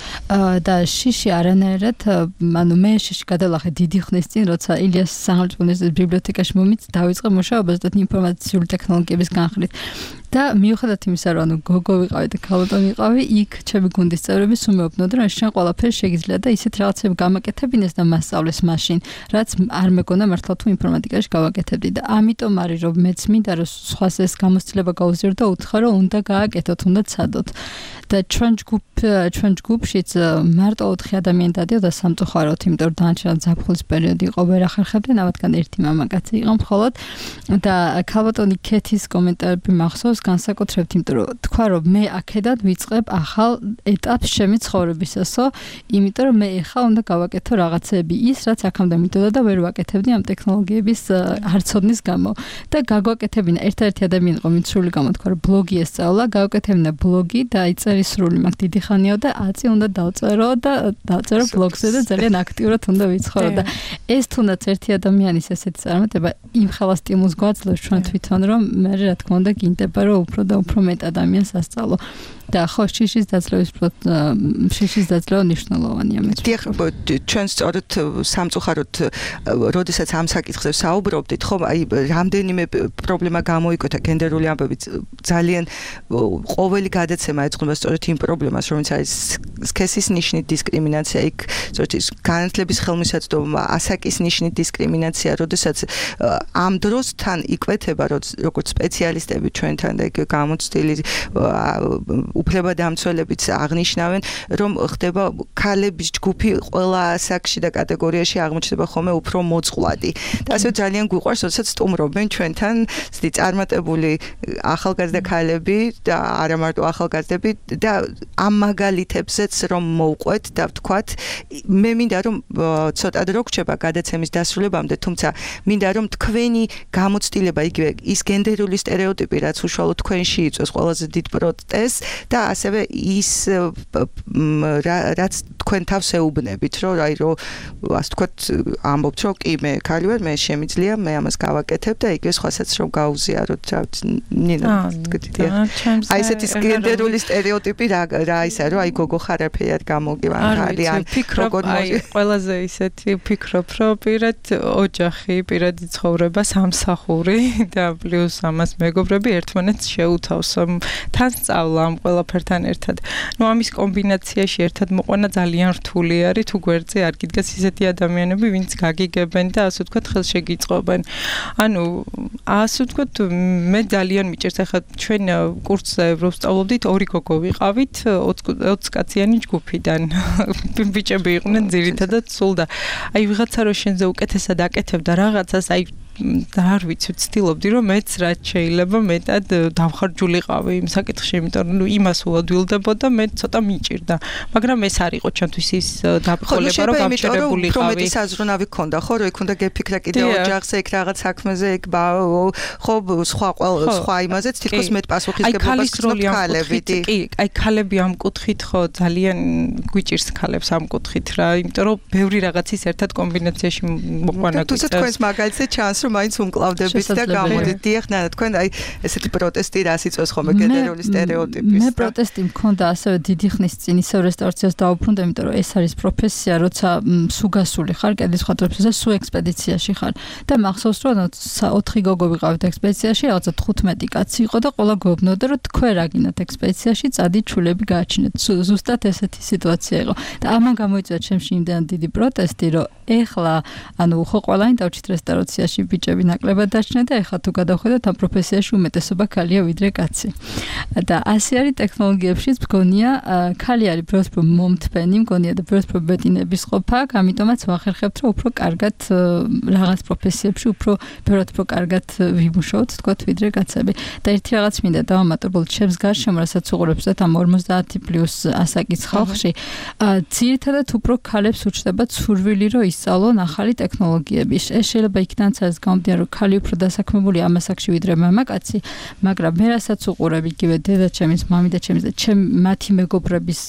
და შიში არანაირად, ანუ მე შიში გადალახე დიდი ხნის წინ, როცა ილიას სახელმწიფო უნივერსიტეტის ბიბლიოთეკაში მომიც დავიწყე მუშაობას და ინფორმაციული ტექნოლოგიების განხრით. და მიუხედავად იმისა, რომ ანუ გოგო ვიყავი და ქალბატონი ვიყავი, იქ ჩემი გუნდის წევრები სუმეობდნენ, რომ შენ ყველაფერი შეგიძლია და ისეთ რაღაცები გამაკეთებინეს და მასწავლეს მაშინ, რაც არ მეგონა მართლა თუ ინფორმატიკაში გავაკეთებდი და ამიტომ არის რომ მეც მინდა რომ სხვას ეს გამოცდილება გაუზიარო და უთხრა რომ უნდა გააკეთოთ, უნდა ცადოთ. და ჩვენ ჯგუფ ჩვენ ჯგუფშიც მარტო ოთხი ადამიანი დადიოდა სამწუხაროდ, იმიტომ რომ დანარჩენ ზაფხულის პერიოდი იყო, ვერ ახერხებდნენ, ამათგან ერთი მამაკაცი იყო მხოლოდ და ქალბატონი ქეთის კომენტარები მახსოვს განსაკუთრებით, იმიტომ რომ თქვა რომ მე აქედან ვიწყებ ახალ ეტაპს ჩემი ცხოვრებისასო, იმიტომ რომ მე ეხლა უნდა გავაკეთო რაღაცები ის, რაც აქამდე მინდოდა და ვერ ვაკეთებდი ამ ტექნოლოგიების არცოდნის გამო. და გაგვაკეთებინა ერთადერთი ადამიანი იყო, ვინც სრული გამოთქვა რომ ბლოგი ესწავლა, გავაკეთებინა ბლოგი და აი წერის სრული მაქვს დიდი ხანია და აწი უნდა დავწერო და დავწერო ბლოგზე და ძალიან აქტიურად უნდა ვიცხოვრო და ეს თუნდაც ერთი ადამიანის ესეთი წარმატება იმ ხელა სტიმულს გვაძლევს ჩვენ თვითონ რომ მე რა თქმა უნდა გინდება რომ უფრო და უფრო მეტ ადამიანს ასწავლო. და ხო შიშის დაძლევის შიშის დაძლევა მნიშვნელოვანია მე. დიახ, ჩვენ სწორედ სამწუხაროდ როდესაც ამ საკითხზე საუბრობდით, ხო, აი რამდენიმე პრობლემა გამოიკვეთა გენდერული ამბები ძალიან ყოველი გადაცემა ეძღვნება სწორედ იმ პრობლემას, რომელიც არის სქესის ნიშნით დისკრიმინაცია, იქ სწორედ ის განათლების ხელმისაწვდომობა, ასაკის ნიშნით დისკრიმინაცია, როდესაც ამ დროსთან იკვეთება როგორც სპეციალისტები ჩვენთან და იქ გამოცდილი უფლებადამცველებიც აღნიშნავენ, რომ ხდება ქალების ჯგუფი ყველა ასაკში და კატეგორიაში აღმოჩნდება ხოლმე უფრო მოწყვლადი. და ასე ძალიან გვიყვარს, როდესაც სტუმრობენ ჩვენთან ცდი წარმატებული ახალგაზრდა ქალები და არა მარტო ახალგაზრდები და ამ მაგალითებზეც როდესაც რომ მოვყვეთ და ვთქვათ, მე მინდა რომ ცოტა დრო გრჩება გადაცემის დასრულებამდე, თუმცა მინდა რომ თქვენი გამოცდილება იგივე ის გენდერული სტერეოტიპი, რაც უშუალოდ თქვენში იწვევს ყველაზე დიდ პროტესტს და ასევე ის რაც თქვენ თავს ეუბნებით, რომ აი რომ ასე ვთქვათ, ამბობთ, რომ კი მე ქალი ვარ, მე შემიძლია, მე ამას გავაკეთებ და იგივე სხვასაც რომ გაუზიაროთ, რა ნინა თქვი. აი ესეთი გენდერული სტერეოტიპი რა რა ისა რომ აი გოგო ხარ არაფერი გამოგივან ხალი ან როგორ აი ყველაზე ისეთი ფიქრობ რომ პირად ოჯახი, პირადი ცხოვრება, სამსახური და პლუს ამას მეგობრები ერთმანეთს შეუთავს. თან სწავლა ამ ყველაფერთან ერთად. ნუ ამის კომბინაციაში ერთად მოყვანა ძალიან რთული არის, თუ გვერდზე არ გიდგას ისეთი ადამიანები, ვინც გაგიგებენ და ასე ვთქვათ ხელშეგიწყობენ. ანუ ასე ვთქვათ მე ძალიან მიჭერს ახლა ჩვენ კურსზე რომ ვსწავლობდით ორი გოგო ვიყავით ოცი კაციანი ჯგუფიდან. ბიჭები იყვნენ ძირითადად სულ და აი ვიღაცა რო შენზე უკეთესად აკეთებ და რაღაცას აი და არ ვიცი, ვცდილობდი რომ მეც რაც შეიძლება მეტად დავხარჯულიყავი იმ საკითხში, იმიტომ რომ იმას უადვილდებოდა, მე ცოტა მიჭირდა. მაგრამ ეს არ იყო ჩემთვის ის დაბრკოლება, რომ გამჭირებულიყავი. უფრო მეტი საზრუნავი გქონდა, ხო, რომ იქ უნდა გეფიქრა კიდე ოჯახზე, იქ რაღაც საქმეზე, იქ ხო, სხვა სხვა იმაზეც თითქოს მეტ პასუხისგებლობას გქონდა ქალებით. კი, აი ქალები ამ კუთხით ხო ძალიან გვიჭირს ქალებს ამ კუთხით რა, იმიტომ რომ ბევრი რაღაცის ერთად კომბინაციაში მოყვანა გვიწევს. თუმცა თქვენს მაგალითზე ჩანს რომ მაინც უმკლავდებით და გამოდით. დიახ, ნანა, თქვენ აი ესეთი პროტესტი რას იწვევს ხოლმე გენდერული სტერეოტიპის. მე პროტესტი მქონდა ასევე დიდი ხნის წინ ისევ რესტავრაციას დავუბრუნდა, იმიტომ რომ ეს არის პროფესია, როცა სუგასული ხარ, კედლის ხატრებში და სუ ექსპედიციაში ხარ. და მახსოვს რომ ოთხი გოგო ვიყავით ექსპედიციაში, რაღაცა თხუთმეტი კაცი იყო და ყველა გვეუბნოდა რომ თქვენ რა გინდათ ექსპედიციაში, წადი ჩულები გააჩინეთ. ზუსტად ესეთი სიტუაცია იყო. და ამან გამოიწვია ჩემში იმდან დიდი პროტესტი, რომ ეხლა ანუ ხო ყველანი დავჭით რესტავრაციაში ბიჭები ნაკლებად დაჩნდა და ეხლა თუ გადავხედოთ ამ პროფესიაში უმეტესობა ქალია ვიდრე კაცი. და ასე არის ტექნოლოგიებშიც მგონია ქალი არის ბევრს მომთბენი, მგონია და ბევრს ბეტინების ყოფა, ამიტომაც ვახერხებთ რომ უფრო კარგად რაღაც პროფესიებში უფრო ბევრად უფრო კარგად ვიმუშაოთ, თქვათ ვიდრე კაცები. და ერთი რაღაც მინდა დავამატებულ ჩემს გარშემო, რასაც უყურებს და ამ ორმოცდაათი პლუს ასაკის ხალხში, ძირითადად უფრო ქალებს ურჩნდებათ სურვილი რომ ისწავლონ ახალი ტექნოლოგიები. ეს შეიძლება იქნაც არის გამომდინარე რომ ქალი უფრო დასაქმებული ამ ასაკში ვიდრე მამაკაცი, მაგრამ მე რასაც უყურებ იგივე დედაჩემის, მამიდაჩემის და ჩემ მათი მეგობრების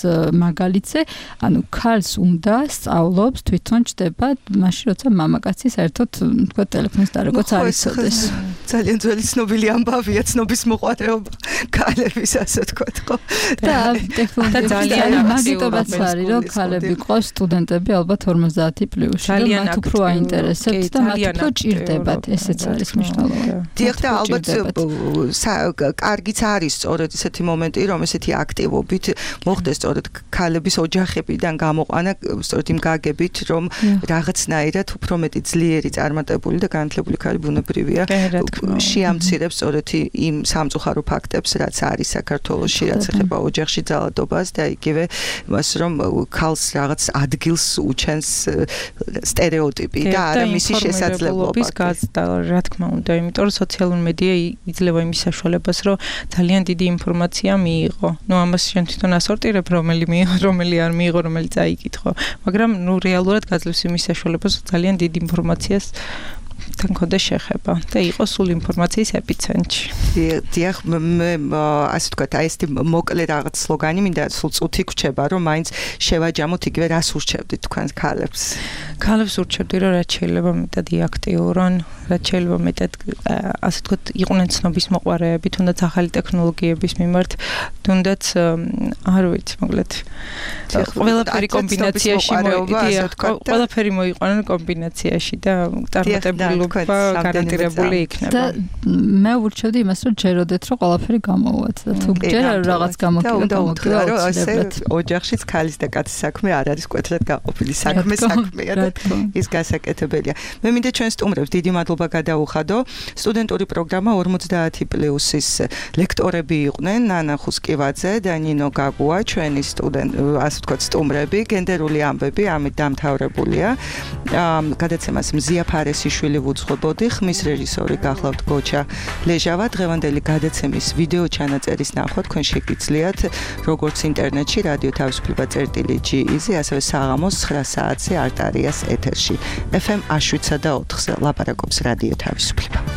მაგალითზე, ანუ ქალს უნდა სწავლობს, თვითონ ჩდება, მაშინ როცა მამაკაცი საერთოდ თქვა ტელეფონს დარეგოც არ იცოდეს. ძალიან ძველი ცნობილი ამბავია, ცნობის მოყვარეობა ქალების, ასე ვთქვათ, ხო? და ტექნოლოგია ძალიან მაგიტომაც არის, რომ ქალები ყავს სტუდენტები ალბათ ორმოცდაათი პლუსში, მათ უფრო აინტერესებთ და მათ უფრო ჭირდებათ, ესეც არის მნიშვნელოვანი. დიახ, და ალბათ კარგიც არის სწორედ ესეთი მომენტი, რომ ესეთი აქტივობით მოხდეს სწორედ ქალების ოჯახებიდან გამოყვანა, სწორედ იმ გაგებით, რომ რაღაცნაირად უფრო მეტი ძლიერი, წარმატებული და განათლებული ქალი ბუნებრივია შეამცირებს სწორედ იმ სამწუხარო ფაქტებს, რაც არის საქართველოში, რაც ეხება ოჯახში ძალადობას და იგივე მას, რომ ქალს რაღაც ადგილს უჩენს სტერეოტიპი და არა მისი შესაძლებლობა. გაზრდა, რა თქმა უნდა, იმიტომ რომ სოციალური მედია იძლევა იმის საშუალებას, რომ ძალიან დიდი ინფორმაცია მიიღო. ნუ ამას შენ თვითონ ასორტირებ, რომელი მიიღო, რომელი არ მიიღო, რომელიც აიკითხო. მაგრამ ნუ რეალურად გაძლევს იმის საშუალებას, რომ ძალიან დიდი ინფორმაციას თან ქონდა შეხება და იყო სულ ინფორმაციის ეპიცენტრში. დიახ, მე ასე ვთქვათ, აი ესეთი მოკლე რაღაც სლოგანი მინდა სულ წუთი გვჩება, რომ მაინც შევაჯამოთ იგივე რას ურჩევდით თქვენ ქალებს. ქალებს ურჩევდი, რომ რაც შეიძლება მეტად იაქტიურონ, რაც შეიძლება მეტად ასე ვთქვათ, იყვნენ ცნობის მოყვარეები, თუნდაც ახალი ტექნოლოგიების მიმართ, თუნდაც არ ვიცი, მოკლედ ყველაფერი კომბინაციაში მოიყვანა, ყველაფერი მოიყვანა კომბინაციაში და წარმატებული გარანტირებული იქნება. და მე ურჩევდი იმას, რომ ჯეროდეთ, რომ ყველაფერი გამოვათ და თუ ჯერა რაღაც გამოგივა, გამოგივა, რომ ესე ოჯახშიც ქალის და კაცის საქმე არ არის კვეთრად გაყოფილი საქმე საქმეა და ის გასაკეთებელია. მე მინდა ჩვენ სტუმრებს დიდი მადლობა მადლობა გადაუხადო. სტუდენტური პროგრამა ორმოცდაათი პლუსის ლექტორები იყვნენ, ნანა ხუსკივაძე და ნინო გაგუა, ჩვენი სტუდენტ, ასე ვთქვათ, სტუმრები, გენდერული ამბები, ამით დამთავრებულია. გადაცემას მზია ფარესიშვილი ვუძღვებოდი, ხმის რეჟისორი გახლავთ გოჩა ლეჟავა. დღევანდელი გადაცემის ვიდეო ჩანაწერის ნახვა თქვენ შეგიძლიათ როგორც ინტერნეტში რადიო თავისუფლება წერტილი ჯი იზი, ასევე საღამოს ცხრა საათზე არტარიას ეთერში. ეფ ემ ას შვიდსა და ოთხზე ლაპარაკობს რადიო თავისუფლება.